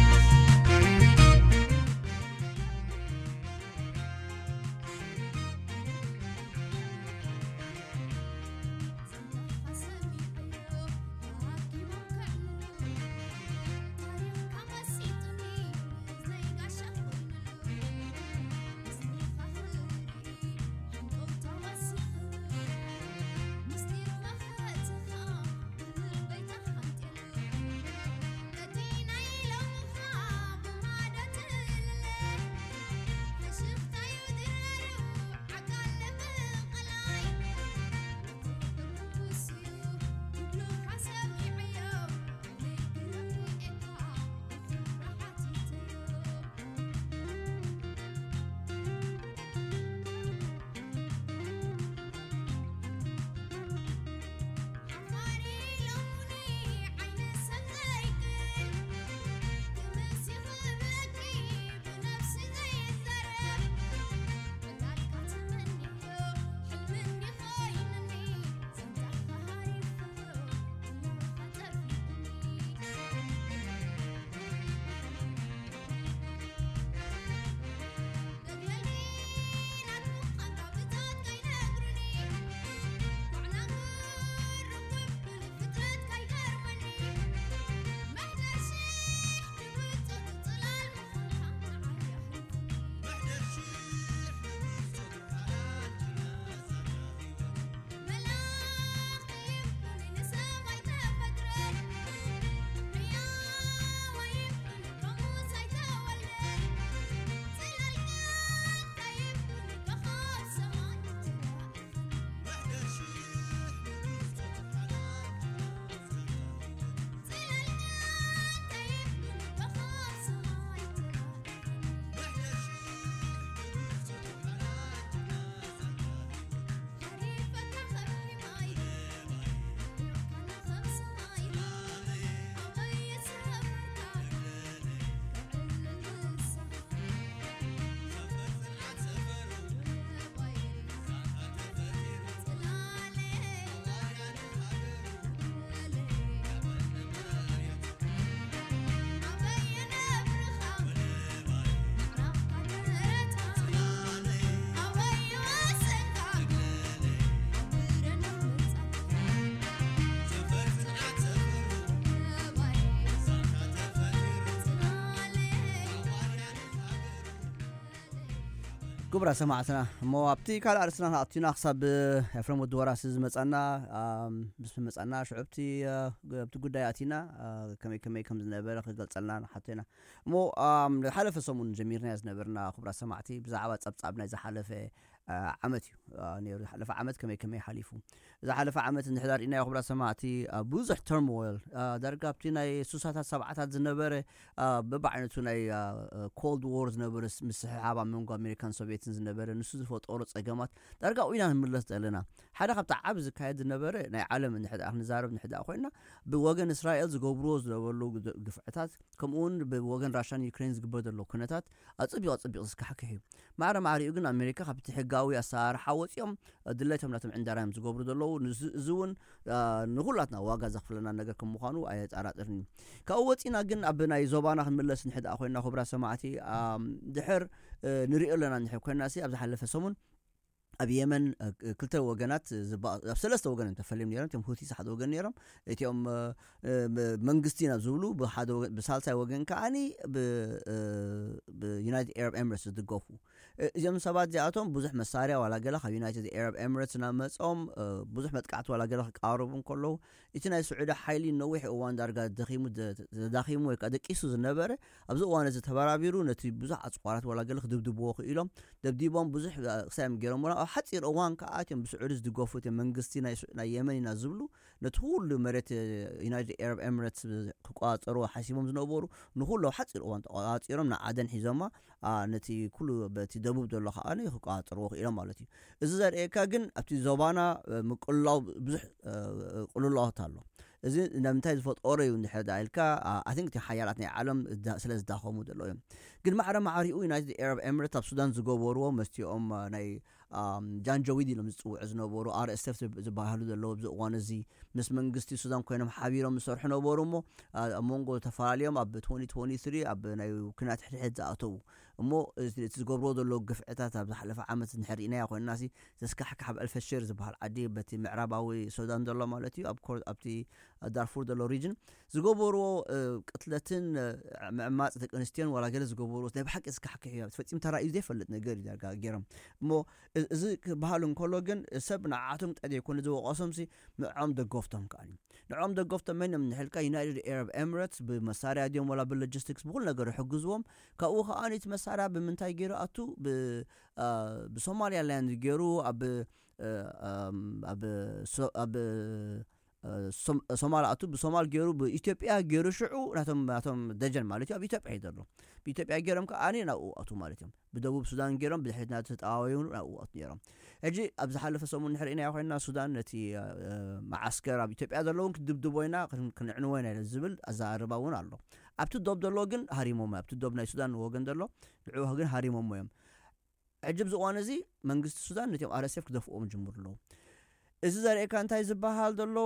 ክቡራ ሰማዕትና፣ እሞ ኣብቲ ካልእ ኣርእስትና ኣቲና ክሳብ ኤፍረም ወዲ ወራሲ ዝመጻና፣ ኣም፣ ምስ መጻና ሽዑ ኣብቲ፣ እ፣ ኣብቲ ጉዳይ ኣቲና፣ እ፣ ከመይ ከመይ ከም ዝነበረ ክገልጸልና ንሓቶ ኢና። እሞ፣ ኣም፣ ዝሓለፈ ሰሙን ጀሚርናዮ ዝነበርና ክቡራ ሰማዕቲ ብዛዕባ ጸብጻብ ናይ ዝሓለፈ፣ እ፣ ዓመት እዩ፣ እ፣ ነይሩ። ዝሓለፈ ዓመት ከመይ ከመይ ሓሊፉ። ዝሓለፈ ዓመት እንድሕር ርኢናዮ ክቡራ ሰማዕቲ፣ እ፣ ብዙሕ ተርሞይል፣ እ፣ ዳርጋ ኣብቲ ናይ ስሳታት ሰብዓታት ዝነበረ አ፣ በብዓይነቱ ናይ፣ አ፣ ኮልድ ዎር ዝነበረ ስ-፣ ምስሕሓብ ኣብ መንጎ ኣሜሪካን ሶቪየትን ዝነበረ፣ ንሱ ዝፈጠሮ ጸገማት ዳርጋ ኢና ክንምለስ ዘለና። ሓደ ካብቲ ዓቢ ዝካየድ ዝነበረ ናይ ዓለም እንድሕር ደኣ ክንዛረብ እንድሕር ደኣ ኮይንና፣ ብወገን እስራኤል ዝገብርዎ ዝነበሩ ግ-፣ ግፍዕታት፣ ከምኡ እውን ብወገን ራሻን ዩክሬን ዝግበር ዘሎ ኩነታት ኣጸቢቑ ኣጸቢቑ ዘስካሕክሕ እዩ። ማዕረ ማዕሪኡ ግን ኣሜሪካ ካብቲ ሕጋዊ ኣሰራርሓ ወጺኦም፣ አ፣ ድሌቶም ናቶም ዕንዳራ እዮም ዝገብሩ ዘለዉ። ንዚ-፣ እዚ እውን፣ አ፣ ንኹላትና ዋጋ ዘኽፍለና ነገር ከም ምዃኑ ኣየጠራጥርን እዩ። ካብኡ ወጺና ግን ኣብ ናይ ዞባና ክንምለስ እንድሕር ደኣ ኮይንና፣ ክቡራት ሰማዕቲ፣ ኣም፣ ድሕር፣ እ፣ ንሪኦ ኣለና እንድሕር ኮይንና ሲ፣ ኣብ ዝሓለፈ ሰሙን ኣብ የመን፣ እ፣ ክልተ ወገናት ዝባ-፣ ኣብ ሰለስተ ወገን እዮም ተፈልዮም ነይሮም። እቲኦም ሁቲስ ሓደ ወገን ነይሮም። እቲኦም፣ እ፣ እ፣ ብ-፣ መንግስቲ ኢና ዝብሉ ብሓደ ወገን፣ ብሳልሳይ ወገን ከዓኒ ብ-፣ እ፣ ብዩናይትድ ኤረብ ኤምሬትስ ዝድገፉ። እ፣ እዚኦም ሰባት እዚኣቶም ብዙሕ መሳርያ ዋላ ገለ ካብ ዩናይትድ ኤረብ ኤምሬትስ እናመጾም፣ እ፣ ብዙሕ መጥቃዕቲ ዋላ ገለ ክቃረቡ እንከለዉ፣ እቲ ናይ ስዑዲ ሓይሊ ነዊሕ እዋን ዳርጋ ደኺሙ፣ ደ-፣ ተዳኺሙ ወይ ከኣ ደቂሱ ዝነበረ፣ ኣብዚ እዋን እዚ ተበራቢሩ ነቲ ብዙሕ ኣጽዋራት ዋላ ገለ ክድብድብዎ ክኢሎም፣ ደብዲቦም ብዙሕ፣ እ፣ ክሳይ እዮም ገይሮምና። ኣብ ሓጺር እዋን ከኣ እቲኦም ብስዑዲ ዝድገፉ፣ እቲ መንግስቲ ናይ ስ-፣ ናይ የመን ኢና ዝብሉ፣ ነቲ ኩሉ መሬት፣ እ፣ ዩናይትድ ኤረብ ኤምሬትስ ክቆጻጸርዎ ሓሲቦም ዝነበሩ፣ ንኹሉ ኣብ ሓጺር እዋን ተቆጻጺሮም ንዓደን ሒዞማ፣ ኣ፣ ነቲ ኩሉ በቲ ደቡብ ዘሎ ከኣ ክቆጻጸርዎ ክኢሎም ማለት እዩ። እዚ ዘርእየካ ግን ኣብቲ ዞባና፣ እ፣ ምቅልላው ብዙሕ፣ እ፣ ቅልውላዋት ኣሎ። እዚ ንምንታይ ዝፈጠሮ እዩ እንድሕር ዳ ኢልካ፣ ኣይ ቲንክ እቲ ሓያላት ናይ ዓለም ስለ ዝዳኸሙ ዘለዉ እዮም። ግን ማዕረ ማዕሪኡ ዩናይትድ ኤረብ ኤምሬት ኣብ ሱዳን ዝገበርዎ፣ መስቲኦም ናይ ጃንጀዊድ ኢሎም ዝፅውዑ ዝነበሩ ኣር ኤስ ኤፍ ዝበሃሉ ዘለዉ ኣብዚ እዋን እዚ ምስ መንግስቲ ሱዳን ኮይኖም ሓቢሮም ዝሰርሑ ነበሩ። እሞ ኣብ መንጎ ተፈላለዮም ኣብ ትወንቲ ትወንቲ ስሪ ኣብ ናይ ኩናት ሕድሕድ ዝኣተዉ እሞ እቲ ዝገብርዎ ዘለዉ ግፍዕታት ኣብ ዝሓለፈ ዓመት እንድሕር ርኢናዮ ኮይንና ሲ ዘስካሕክሕ ኣብ ኣልፈሽር ዝበሃል ዓዲ በቲ ምዕራባዊ ሱዳን ዘሎ ማለት እዩ ኣብቲ ዳርፉር ዘሎ ሪጅን ዝገበርዎ ቅትለትን ምዕማፅ ደቂ ኣንስትዮን ዋላ ገለ ዝገበርዎ ናይ ብሓቂ ዘስካሕክሕ እዩ። ፈፂሙ ተራእዩ ዘይፈልጥ ነገር እዩ ዳርጋ ገይሮም። እሞ እዚ ክበሃል እንከሎ ግን ሰብ ንዓቶም ጥራይ ዘይኮነ ዝወቀሶም ሲ ንዖም ደገፍቶም ከኣ ንዕኦም ደገፍቶም መን እዮም ንሕልካ ዩናይትድ ኤረብ ኤምሬትስ ብመሳርያ ድዮም ወላ ብሎጂስቲክስ ብኩሉ ነገር ይሕግዝዎም። ካብኡ ከዓ እቲ መሳርያ ብምንታይ ገይሩ ኣቱ ብሶማሊያ ላንድ ገይሩ ኣብ ኣብ ሶማል ኣቱ ብሶማል ገይሩ ብኢትዮጵያ ገይሩ ሽዑ ናቶም ናቶም ደጀን ማለት እዩ ኣብ ኢትዮጵያ እዩ ዘሎ። ብኢትዮጵያ ገይሮም ከዓ ናብኡ ኣቱ ማለት እዮም። ብደቡብ ሱዳን ገይሮም ብድሕሪት ናቱ ተጠዋወዩ ናብኡ ኣቱ ነይሮም። ሕጂ ኣብ ዝሓለፈ ሰሙን ንሕርኢና ኮይና ሱዳን ነቲ መዓስከር ኣብ ኢትዮጵያ ዘለውን ክድብድቦ ኢና ክንዕንዎ ኢና ዝብል ኣዘራርባ እውን ኣሎ። ኣብቲ ዶብ ዘሎ ግን ሃሪሞሞ ኣብቲ ዶብ ናይ ሱዳን ወገን ዘሎ ንዕኡ ግን ሃሪሞሞ እዮም። ሕጂ ኣብዚ እዋን እዚ መንግስቲ ሱዳን ነቲኦም ኣር ኤስ ኤፍ ክደፍኦም ጅምሩ ኣለዉ። እዚ ዘርእየካ እንታይ ዝበሃል ዘሎ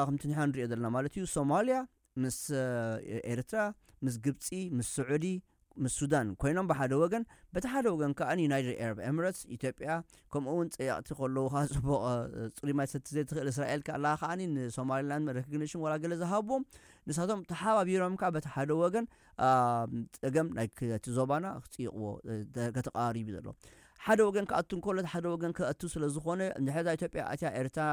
ከምቲ ንሕና ንሪኦ ዘለና ማለት እዩ ሶማልያ ምስ ኤርትራ ምስ ግብፂ ምስ ስዑዲ ምስ ሱዳን ኮይኖም ብሓደ ወገን በቲ ሓደ ወገን ከዓ ዩናይትድ ኤረብ ኤምረትስ ኢትዮጵያ ከምኡ እውን ፀያቕቲ ከለዉ ከዓ ፅቡቕ ፅሩይ ማይ ትሰቲ ዘይትኽእል እስራኤል ከኣ ከዓኒ ንሶማሊላንድ ሬኮግኒሽን ዋላ ገለ ዝሃብዎም ንሳቶም ተሓባቢሮም ከዓ በቲ ሓደ ወገን ፀገም ናይ እቲ ዞባና ክፅይቕዎ ከተቃሪቡ ዘሎ ሓደ ወገን ክኣቱ እንከሎ ሓደ ወገን ክኣቱ ስለ ዝኾነ እንድሕር ኢትዮጵያ ኣትያ ኤርትራ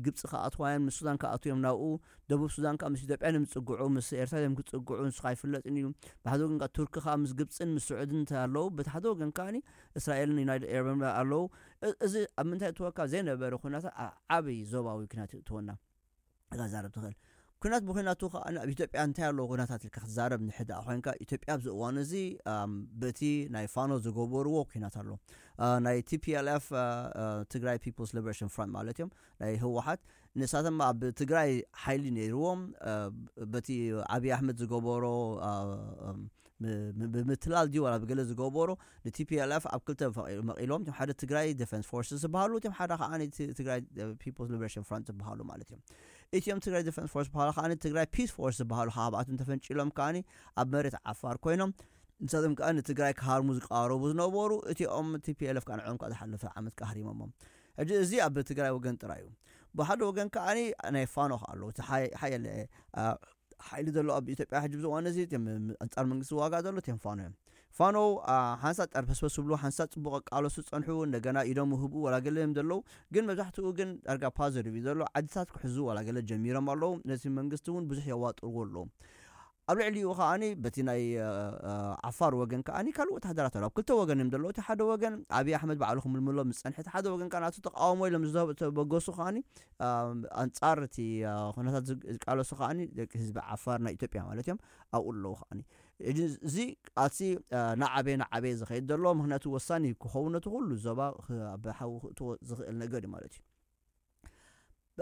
ግብፂ ክኣትዋ እዮም ንሱዳን ክኣቱ እዮም ናብኡ ደቡብ ሱዳን ከዓ ምስ ኢትዮጵያ እዮም ዝፅግዑ ምስ ኤርትራ እዮም ክፅግዑ ንሱ ኣይፍለጥን እዩ ብሓደ ወገን ከዓ ቱርኪ ከዓ ምስ ግብፅን ምስ ስዑድን ኣለዉ በቲ ሓደ ወገን ከዓ እስራኤልን ዩናይትድ ኤረብ ኣለዉ እዚ ኣብ ምንታይ እትወካ ዘይነበረ ኩነታት ዓብዪ ዞባዊ ኩናት እትወና ዛረብ ትኽእል ኩናት ብኩናቱ ከዓ ኣብ ኢትዮጵያ እንታይ ኣለዎ ኩነታት ኢልካ ክትዛረብ ንሕዳእ ኮይንካ ኢትዮጵያ ኣብዚ እዋን እዚ በቲ ናይ ፋኖ ዝገበርዎ ኩናት ኣሎ ናይ ቲፒኤልኤፍ ትግራይ ፒፕልስ ሊበሬሽን ፍሮንት ማለት እዮም ናይ ህወሓት ንሳቶም ኣብ ትግራይ ሓይሊ ነይርዎም በቲ ዓብዪ ኣሕመድ ዝገበሮ ብምትላል ድዩ ዋላ ብገለ ዝገበሮ ንቲፒኤልኤፍ ኣብ ክልተ መቒሎም ሓደ ትግራይ ዲፌንስ ፎርስስ ዝበሃሉ እቲም ሓደ ከዓ ትግራይ ፒፕልስ ሊበሬሽን ፍሮንት ዝበሃሉ ማለት እዮም እቲኦም ትግራይ ዲፌንስ ፎርስ ዝበሃሉ ከዓ ትግራይ ፒስ ፎርስ ዝበሃሉ ካብኣቶም ተፈንጭሎም ከዓ ኣብ መሬት ዓፋር ኮይኖም ንሳቶም ከዓ ንትግራይ ክሃርሙ ዝቃረቡ ዝነበሩ እቲኦም ቲፒኤልኤፍ ከዓ ንዕኦም ከዓ ዝሓለፈ ዓመት ከዓ ሃሪሞሞም ሕጂ እዚ ኣብ ትግራይ ወገን ጥራይ እዩ ብሓደ ወገን ከዓ ናይ ፋኖ ከዓ ኣለዉ ሓየለ ሓይሊ ዘሎ ኣብ ኢትዮጵያ ሕጂ ብዝዋነ እዚ ኣንፃር መንግስቲ ዋጋ ዘሎ እቲም ፋኖ እዮም ፋኖ ሓንሳብ ጠርፐስፐስ ዝብሉ ሓንሳብ ፅቡቅ ቃለሱ ዝፀንሑ እንደገና ኢዶም ውህቡ ዋላ ገለ እዮም ዘለዉ ግን መብዛሕትኡ ግን ዳርጋ ፓዘቲቭ እዩ ዘሎ ዓድታት ክሕዙ ዋላ ገለ ጀሚሮም ኣለዉ ነቲ መንግስቲ እውን ብዙሕ የዋጥርዎ ኣለዉ ኣብ ልዕሊኡ ከዓኒ በቲ ናይ ዓፋር ወገን ከዓኒ ካልእ ወተሃደራት ኣሎ ኣብ ክልተ ወገን እዮም ዘለዉ እቲ ሓደ ወገን ኣብይ ኣሕመድ ባዕሉ ክምልምሎ ምስ ፀንሐ እቲ ሓደ ወገን ከዓ ናቱ ተቃውሞ ኢሎም ዝተበገሱ ከዓኒ ኣንፃር እቲ ኩነታት ዝቃለሱ ከዓኒ ደቂ ህዝቢ ዓፋር ናይ ኢትዮጵያ ማለት እዮም ኣብኡ ኣለዉ ከዓኒ እዚ ኣቲ ናዓበየ ናዓበየ ዝኸይድ ዘሎ ምክንያቱ ወሳኒ ክኸውን ነቲ ኩሉ ዞባ ብሓዊ ክእትዎ ዝኽእል ነገር እዩ ማለት እዩ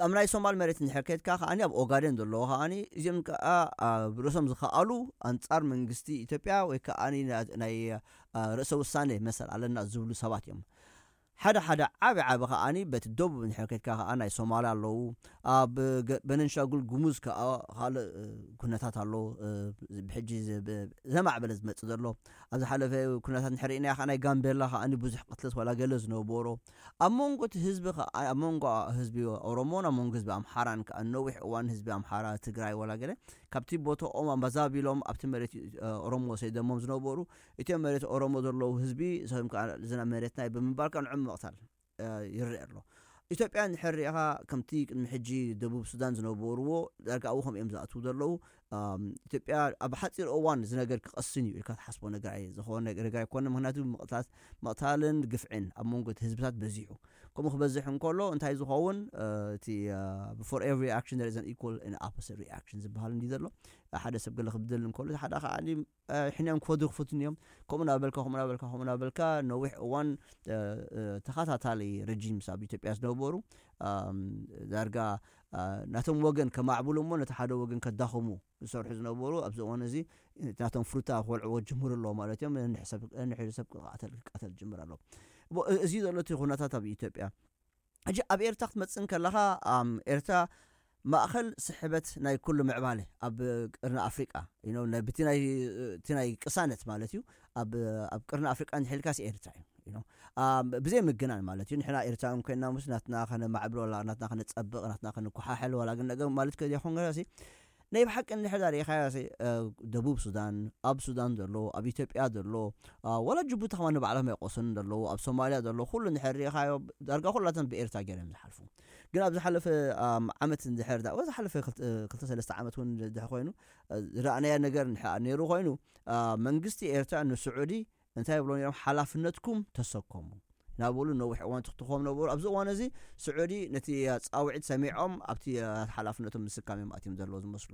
ኣብ ናይ ሶማል መሬት እንድሕር ከድካ ከዓኒ ኣብ ኦጋዴን ዘለዉ ከዓኒ እዚኦም ከዓ ኣብ ርእሶም ዝኸኣሉ ኣንፃር መንግስቲ ኢትዮጵያ ወይ ከዓ ናይ ርእሰ ውሳኔ መሰል ኣለና ዝብሉ ሰባት እዮም ሓደ ሓደ ዓቢ ዓቢ ከዓኒ በቲ ደቡብ እንድሕር ከድካ ከዓ ናይ ሶማል ኣለዉ ኣብ በነንሻጉል ጉሙዝ ከዓ ካልእ ኩነታት ኣሎ ብሕጂ ዘማዕበለ ዝመፅእ ዘሎ ኣብ ዝሓለፈ ኩነታት እንድሕር ርኢናዮ ከዓ ናይ ጋምቤላ ከዓኒ ብዙሕ ቅትለት ዋላ ገለ ዝነበሮ ኣብ መንጎ እቲ ህዝቢ ኣብ መንጎ ህዝቢ ኦሮሞን ኣብ መንጎ ህዝቢ ኣምሓራን ከዓ ነዊሕ እዋን ህዝቢ ኣምሓራ ትግራይ ዋላ ገለ ካብቲ ቦታኦም ኣመዛቢሎም ኣብቲ መሬት ኦሮሞ ሰይደሞም ዝነበሩ እቲኦም መሬት ኦሮሞ ዘለዉ ህዝቢ ሰም ከዓ ዝና መሬትና ብምባል ከዓ ንዕም ምቕታል ይረአ ኣሎ ኢትዮጵያ እንድሕር ሪኢኻ ከምቲ ቅድሚ ሕጂ ደቡብ ሱዳን ዝነበርዎ ዳርጋ ኣብኡ ከም እዮም ዝኣትዉ ዘለዉ ኢትዮጵያ ኣብ ሓፂር እዋን እዚ ነገር ክቐስን እዩ ኢልካ ትሓስቦ ነገር ኣየ ዝኾነ ነገር ኣይኮነ ምክንያቱ ምቕታት ምቕታልን ግፍዕን ኣብ መንጎ እቲ ህዝብታት በዚሑ ከምኡ ክበዝሕ እንከሎ እንታይ ዝኸውን እቲ for every action there is an equal and opposite reaction ዝበሃል እንዲ ዘሎ ሓደ ሰብ ገለ ክብደል እንከሎ ሓደ ከዓ ሕንኦም ክፈዱ ክፍትን እዮም ከምኡ ናበልካ ከምኡ ናበልካ ከምኡ ናበልካ ነዊሕ እዋን ተኸታታሊ ረጂምስ ኣብ ኢትዮጵያ ዝነበሩ ዳርጋ ናቶም ወገን ከማዕብሉ እሞ ነቲ ሓደ ወገን ከዳኽሙ ዝሰርሑ ዝነበሩ፣ ኣብዚ እዋን እዚ ናቶም ፍሩታ ክወልዕዎ ጅምሩ ኣለዎ ማለት እዮም። ንሕሰብ ንሕሰብ ክቃተል ክቃተል ጅምር ኣሎ። እዚ ዘሎ እቲ ኩነታት ኣብ ኢትዮጵያ። ሕጂ ኣብ ኤርትራ ክትመጽእ እንከለኻ፣ ኤርትራ ማእኸል ስሕበት ናይ ኩሉ ምዕባለ ኣብ ቅርኒ ኣፍሪቃ፣ ብቲ ናይ ቅሳነት ማለት እዩ። ኣብ ቅርኒ ኣፍሪቃ እንድሕልካስ ኤርትራ እዩ። ብዘይ ምግናን ማለት እዩ። ንሕና ኤርትራን ኮይና ምስ ናትና ከነማዕብሎ፣ ናትና ከነጸብቕ፣ ናትና ከነኮሓሕል ዋላ ግን ነገር ማለት ከይኮን ገለሲ ናይ ብሓቂ እንድሕር ዳር ኢኻዮ ደቡብ ሱዳን፣ ኣብ ሱዳን ዘሎ፣ ኣብ ኢትዮጵያ ዘሎ፣ ወላ ጅቡቲ ከማ ንባዕሎም ኣይቆሰኑን ዘለዉ፣ ኣብ ሶማልያ ዘሎ ኩሉ እንድሕር ርኢኻዮ ዳርጋ ኩላተን ብኤርትራ ገይሮም ዝሓልፉ። ግን ኣብ ዝሓለፈ ዓመት እንድሕር ዝሓለፈ ክልተ ሰለስተ ዓመት እውን ድሕ ኮይኑ ዝረኣናያ ነገር ነይሩ ኮይኑ፣ መንግስቲ ኤርትራ ንስዑዲ እንታይ ይብሎ ነይሮም? ሓላፍነትኩም ተሰከሙ ናበሉ ነዊሕ እዋን ትኽትኾም ነበሩ። ኣብዚ እዋን እዚ ስዑዲ ነቲ ፃውዒት ሰሚዖም ኣብቲ ሓላፍነቶም ምስካም እዮም ኣትዮም ዘለዉ ዝመስሉ።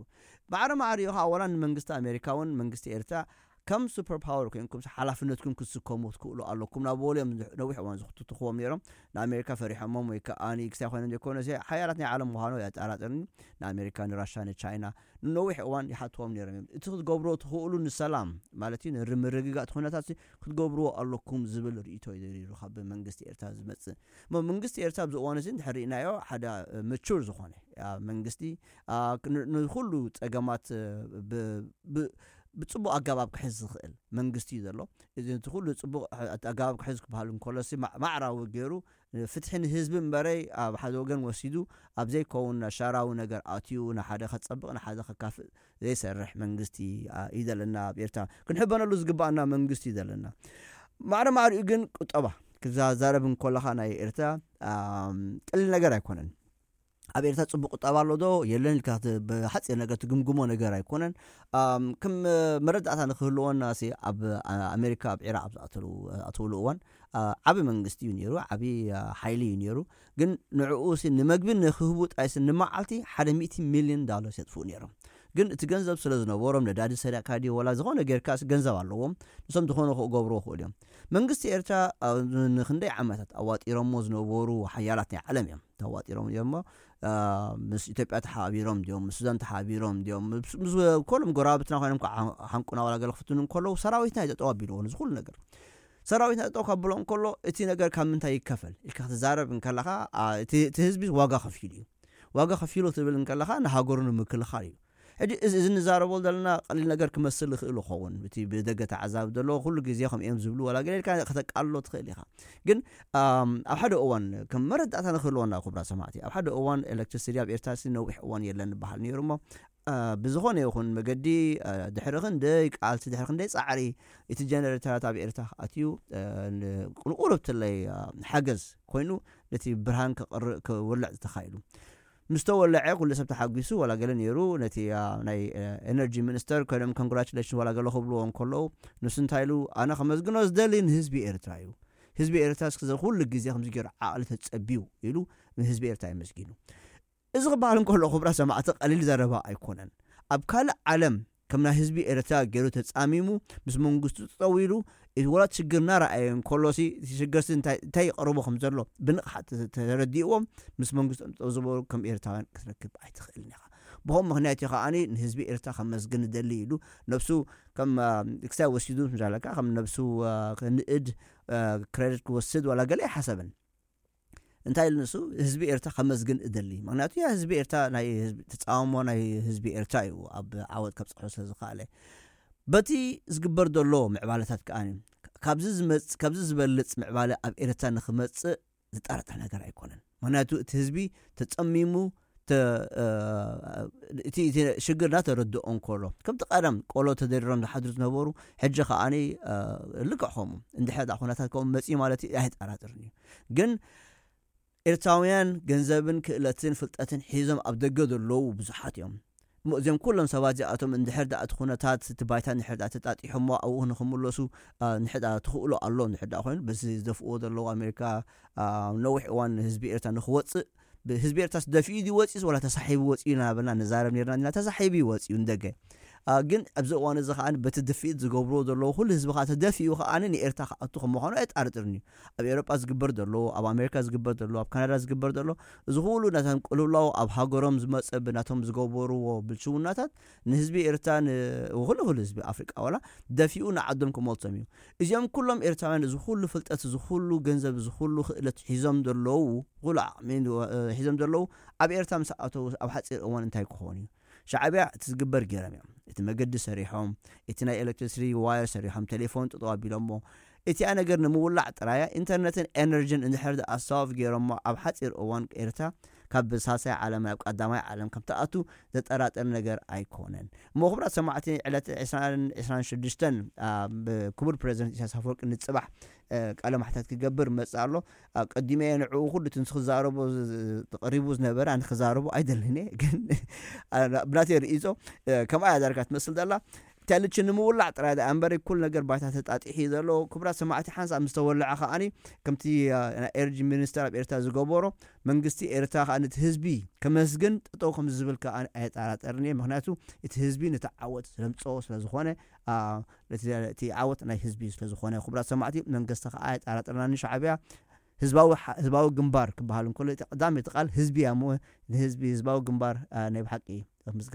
ማዕረ ማዕሪኡ ከዓ ወላ ንመንግስቲ ኣሜሪካ እውን መንግስቲ ኤርትራ ከም ሱፐር ፓወር ኮይንኩም ሓላፍነትኩም ክትስከሙ ትክእሉ ኣለኩም ናበሉ እዮም ነዊሕ እዋን ዝኽትትኽዎም ነይሮም። ንኣሜሪካ ፈሪሖሞም ወይ ከዓ ንክሳይ ኮይኖም ዘይኮነ ሓያላት ናይ ዓለም ምዃኑ የጠራጥርኒ። ንኣሜሪካ፣ ንራሻ፣ ንቻይና ንነዊሕ እዋን ይሓትዎም ነይሮም እዮም። እቲ ክትገብርዎ ትኽእሉ ንሰላም ማለት እዩ፣ ንርምርግጋእ እቲ ኩነታት ክትገብርዎ ኣለኩም ዝብል ርእይቶ እዩ ካብ መንግስቲ ኤርትራ ዝመጽእ። እሞ መንግስቲ ኤርትራ ኣብዚ እዋን እዚ እንድሕር ርኢናዮ ሓደ ምቹር ዝኾነ መንግስቲ፣ ንኩሉ ጸገማት ብጽቡቅ ኣገባብ ክሕዝ ዝኽእል መንግስቲ እዩ ዘሎ። እዚ እቲ ኩሉ ጽቡቅ ኣገባብ ክሕዝ ክበሃል እንከሎሲ ማዕራዊ ገይሩ ፍትሒ ንህዝቢ እምበረይ ኣብ ሓደ ወገን ወሲዱ ኣብ ዘይከውን ሻራዊ ነገር ኣትዩ ንሓደ ከጸብቕ ንሓደ ከካፍእ ዘይሰርሕ መንግስቲ እዩ ዘለና። ኣብ ኤርትራ ክንሕበነሉ ዝግባኣና መንግስቲ እዩ ዘለና። ማዕረ ማዕሪኡ ግን ቁጠባ ክዛዛረብ እንኮለኻ ናይ ኤርትራ ቀሊል ነገር ኣይኮነን። ኣብ ኤርትራ ጽቡቅ ቁጠባ ኣሎ ዶ የለን ኢልካ ብሓጺር ነገር ትግምግሞ ነገር ኣይኮነን። ከም መረዳእታ ንክህልወና ሲ ኣብ ኣሜሪካ ኣብ ዒራቅ ኣብ ዝኣተሉ እዋን ዓቢ መንግስቲ እዩ ነይሩ፣ ዓቢ ሓይሊ እዩ ነይሩ። ግን ንዕኡ ሲ ንመግቢ ንክህቡ ጥራይ ሲ ንመዓልቲ ሓደ ሚእቲ ሚልዮን ዳለር የጥፍኡ ነይሮም። ግን እቲ ገንዘብ ስለ ዝነበሮም ነዳዲ ሰሪቕካ ድዩ ወላ ዝኾነ ጌርካ ሲ ገንዘብ ኣለዎም። ንሶም ዝኾነ ክገብርዎ ክእሉ እዮም። መንግስቲ ኤርትራ ንክንደይ ዓመታት ኣዋጢሮሞ ዝነበሩ ሓያላት ናይ ዓለም እዮም ተዋጢሮም እዮም። ምስ ኢትዮጵያ ተሓባቢሮም ድዮም፣ ምስ ሱዳን ተሓባቢሮም ድዮም፣ ምስ ኮሎም ጎረባብትና ኮይኖም ሓንቁና ዋላ ገለ ክፍትኑ እንከለዉ ሰራዊትና ይጠጠው ኣቢልዎ ነዚ ኩሉ ነገር። ሰራዊትና ጠጠው ካብሎ እንከሎ እቲ ነገር ካብ ምንታይ ይከፈል ኢልካ ክትዛረብ እንከለኻ እቲ ህዝቢ ዋጋ ከፊሉ እዩ። ዋጋ ከፊሉ ትብል እንከለኻ ንሃገሩ ንምክልኻል እዩ። ሕጂ እዚ ንዛረቦ ዘለና ቀሊል ነገር ክመስል ይኽእል ይኸውን፣ እቲ ብደገ ተዓዛቢ ዘሎ ኩሉ ግዜ ከም እዮም ዝብሉ ዋላ ገለ ኢልካ ከተቃልሎ ትኽእል ኢኻ። ግን ኣብ ሓደ እዋን ከም መረዳእታ ንክህልወና ክቡራ ሰማዕቲ፣ ኣብ ሓደ እዋን ኤሌክትሪሲቲ ኣብ ኤርትራ ነዊሕ እዋን የለን ንበሃል ነይሩ እሞ ብዝኾነ ይኹን መገዲ ድሕሪ ክንደይ ቃልሲ ድሕሪ ክንደይ ፃዕሪ እቲ ጀነሬተራት ኣብ ኤርትራ ኣትዩ ንቁርቁርብትለይ ሓገዝ ኮይኑ ነቲ ብርሃን ክውልዕ ዝተኻኢሉ ምስ ተወለዐ ኩሉ ሰብ ተሓጒሱ ዋላ ገለ ነይሩ። ነቲ ናይ ኤነርጂ ሚኒስተር ኮይኖም ኮንግራቹሌሽን ዋላ ገለ ክብልዎ እንከለዉ ንሱ እንታይ ኢሉ ኣነ ከመስግኖ ዝደሊ ንህዝቢ ኤርትራ እዩ። ህዝቢ ኤርትራ እስከ ኩሉ ግዜ ከምዚ ገይሩ ዓቕሊ ተጸቢዩ ኢሉ ንህዝቢ ኤርትራ የመስጊኑ። እዚ ክበሃል እንከሎ ክቡራ ሰማዕቲ ቀሊል ዘረባ ኣይኮነን። ኣብ ካልእ ዓለም ከም ናይ ህዝቢ ኤርትራ ገይሩ ተጻሚሙ ምስ መንግስቱ ጠጠው ኢሉ እቲ ወላ ሽግር እናረኣየ እንከሎሲ እቲ ሽግርሲ እንታይ እንታይ ይቐርቦ ከም ዘሎ ብንቕሓት ተረዲእዎም ምስ መንግስቶም ጠጠው ዝበሉ ከም ኤርትራውያን ክትረክብ ኣይትኽእልን ኢኻ። ብኸም ምክንያት እዩ ከዓኒ ንህዝቢ ኤርትራ ከመስግን ደሊ ኢሉ ነብሱ ከም ክሳይ ወሲዱ ምዛለካ ከም ነብሱ ክንእድ ክሬዲት ክወስድ ዋላ ገለ ኣይሓሰብን። እንታይ ኢሉ ንሱ ህዝቢ ኤርትራ ከመስግን እደሊ። ምክንያቱ ያ ህዝቢ ኤርትራ ናይ ህዝቢ ተጻውሞ ናይ ህዝቢ ኤርትራ እዩ ኣብ ዓወት ከብጽሖ ስለ ዝኸኣለ። በቲ ዝግበር ዘሎ ምዕባለታት ከኣ ካብዚ ዝመጽ ካብዚ ዝበልጽ ምዕባለ ኣብ ኤርትራ ንክመጽእ ዝጠራጠር ነገር ኣይኮነን። ምክንያቱ እቲ ህዝቢ ተጸሚሙ እቲ ሽግርና ተረድኦ እንከሎ ከምቲ ቀደም ቆሎ ተደሪሮም ዝሓድሩ ዝነበሩ ሕጂ ከዓኒ ልክዕ ከምኡ እንድሕር ዳ ኩነታት ከምኡ መጺኡ ማለት እዩ ኣይጠራጥርን እዩ። ግን ኤርትራውያን ገንዘብን ክእለትን ፍልጠትን ሒዞም ኣብ ደገ ዘለዉ ብዙሓት እዮም። እሞ እዚኦም ኩሎም ሰባት እዚኣቶም እንድሕር ዳ እቲ ኩነታት እቲ ባይታ እንድሕር ዳ ተጣጢሖሞ ኣብኡ ንክምለሱ እንድሕር ዳ ትኽእሎ ኣሎ እንድሕር ዳ ኮይኑ በዚ ዝደፍእዎ ዘለዉ ኣሜሪካ ነዊሕ እዋን ህዝቢ ኤርትራ ንክወፅእ ህዝቢ ኤርትራስ ደፊኡ ድዩ ወፂኡስ ዋላ ተሳሒቡ ወፂኡ እናበልና ንዛረብ ነርና ኢና። ተሳሒቡ እዩ ወፂኡ ንደገ። ግን ኣብዚ እዋን እዚ ከዓ በቲ ድፍኢት ዝገብርዎ ዘለዉ ኩሉ ህዝቢ ከዓ ተደፊኡ ከዓ ንኤርትራ ክኣቱ ከም ምዃኑ ኣየጣርጥርን እዩ። ኣብ ኤውሮጳ ዝግበር ዘሎ፣ ኣብ ኣሜሪካ ዝግበር ዘሎ፣ ኣብ ካናዳ ዝግበር ዘሎ፣ እዚ ኩሉ ናቶም ቅልውላው ኣብ ሃገሮም ዝመፀ ብናቶም ዝገበርዎ ብልሽውናታት ንህዝቢ ኤርትራ ንኩሉ ኩሉ ህዝቢ ኣፍሪቃ ዋላ ደፊኡ ንዓዶም ክመልሶም እዩ። እዚኦም ኩሎም ኤርትራውያን እዚ ኩሉ ፍልጠት፣ እዚ ኩሉ ገንዘብ፣ እዚ ኩሉ ክእለት ሒዞም ዘለዉ፣ ኩሉ ዓቕሚ ሒዞም ዘለዉ ኣብ ኤርትራ ምስ ኣተዉ ኣብ ሓፂር እዋን እንታይ ክኾኑ እዩ? ሻዕብያ እቲ ዝግበር ገይሮም እዮም። እቲ መገዲ ሰሪሖም፣ እቲ ናይ ኤሌክትሪሲቲ ዋየር ሰሪሖም፣ ቴሌፎን ጠጠው ኣቢሎሞ። እቲኣ ነገር ንምውላዕ ጥራያ ኢንተርነትን ኤነርጂን እንድሕር ኣሳዋፍ ገይሮሞ ኣብ ሓፂር እዋን ኤርትራ ካብ ሳልሳይ ዓለም ናብ ቀዳማይ ዓለም ከም ትኣቱ ዘጠራጥር ነገር ኣይኮነን። እሞ ክቡራት ሰማዕቲ ዕለት ዕስራን ዕስራን ሽዱሽተን ብክቡር ፕሬዚደንት ኢሳያስ ኣፈወርቂ ንፅባሕ ቃለ ማሕታት ክገብር መፅእ ኣሎ። ኣቀዲመ ንዕኡ ኩሉ እቲ ንክዛረቦ ተቐሪቡ ዝነበረ ኣነ ክዛረቦ ኣይደልን እየ ግን ብናተይ ርእይቶ ከምኣ እያ ዳርጋ ትመስል ዘላ። ተልች ንምውላዕ ጥራይ ደኣ እምበር ኩሉ ነገር ባይታ ተጣጢሑ እዩ ዘሎ። ክቡራት ሰማዕቲ ሓንሳብ ምስ ተወልዐ ከዓኒ ከምቲ ናይ ኤነርጂ ሚኒስተር ኣብ ኤርትራ ዝገበሮ መንግስቲ ኤርትራ ከዓ ነቲ ህዝቢ ከመስግን ጠጠው ከም ዝብል ከዓ ኣየጠራጠርን እየ። ምክንያቱ እቲ ህዝቢ ነቲ ዓወት ስለምፅኦ ስለዝኾነ እቲ ዓወት ናይ ህዝቢ ስለዝኾነ ክቡራት ሰማዕቲ መንግስቲ ከዓ ኣየጠራጠርናን። ሻዕብያ ህዝባዊ ግንባር ክበሃል እንከሎ እቲ ቀዳመይቲ ቃል ህዝቢ እያ እሞ ንህዝቢ ህዝባዊ ግንባር ናይ ብሓቂ ምስገን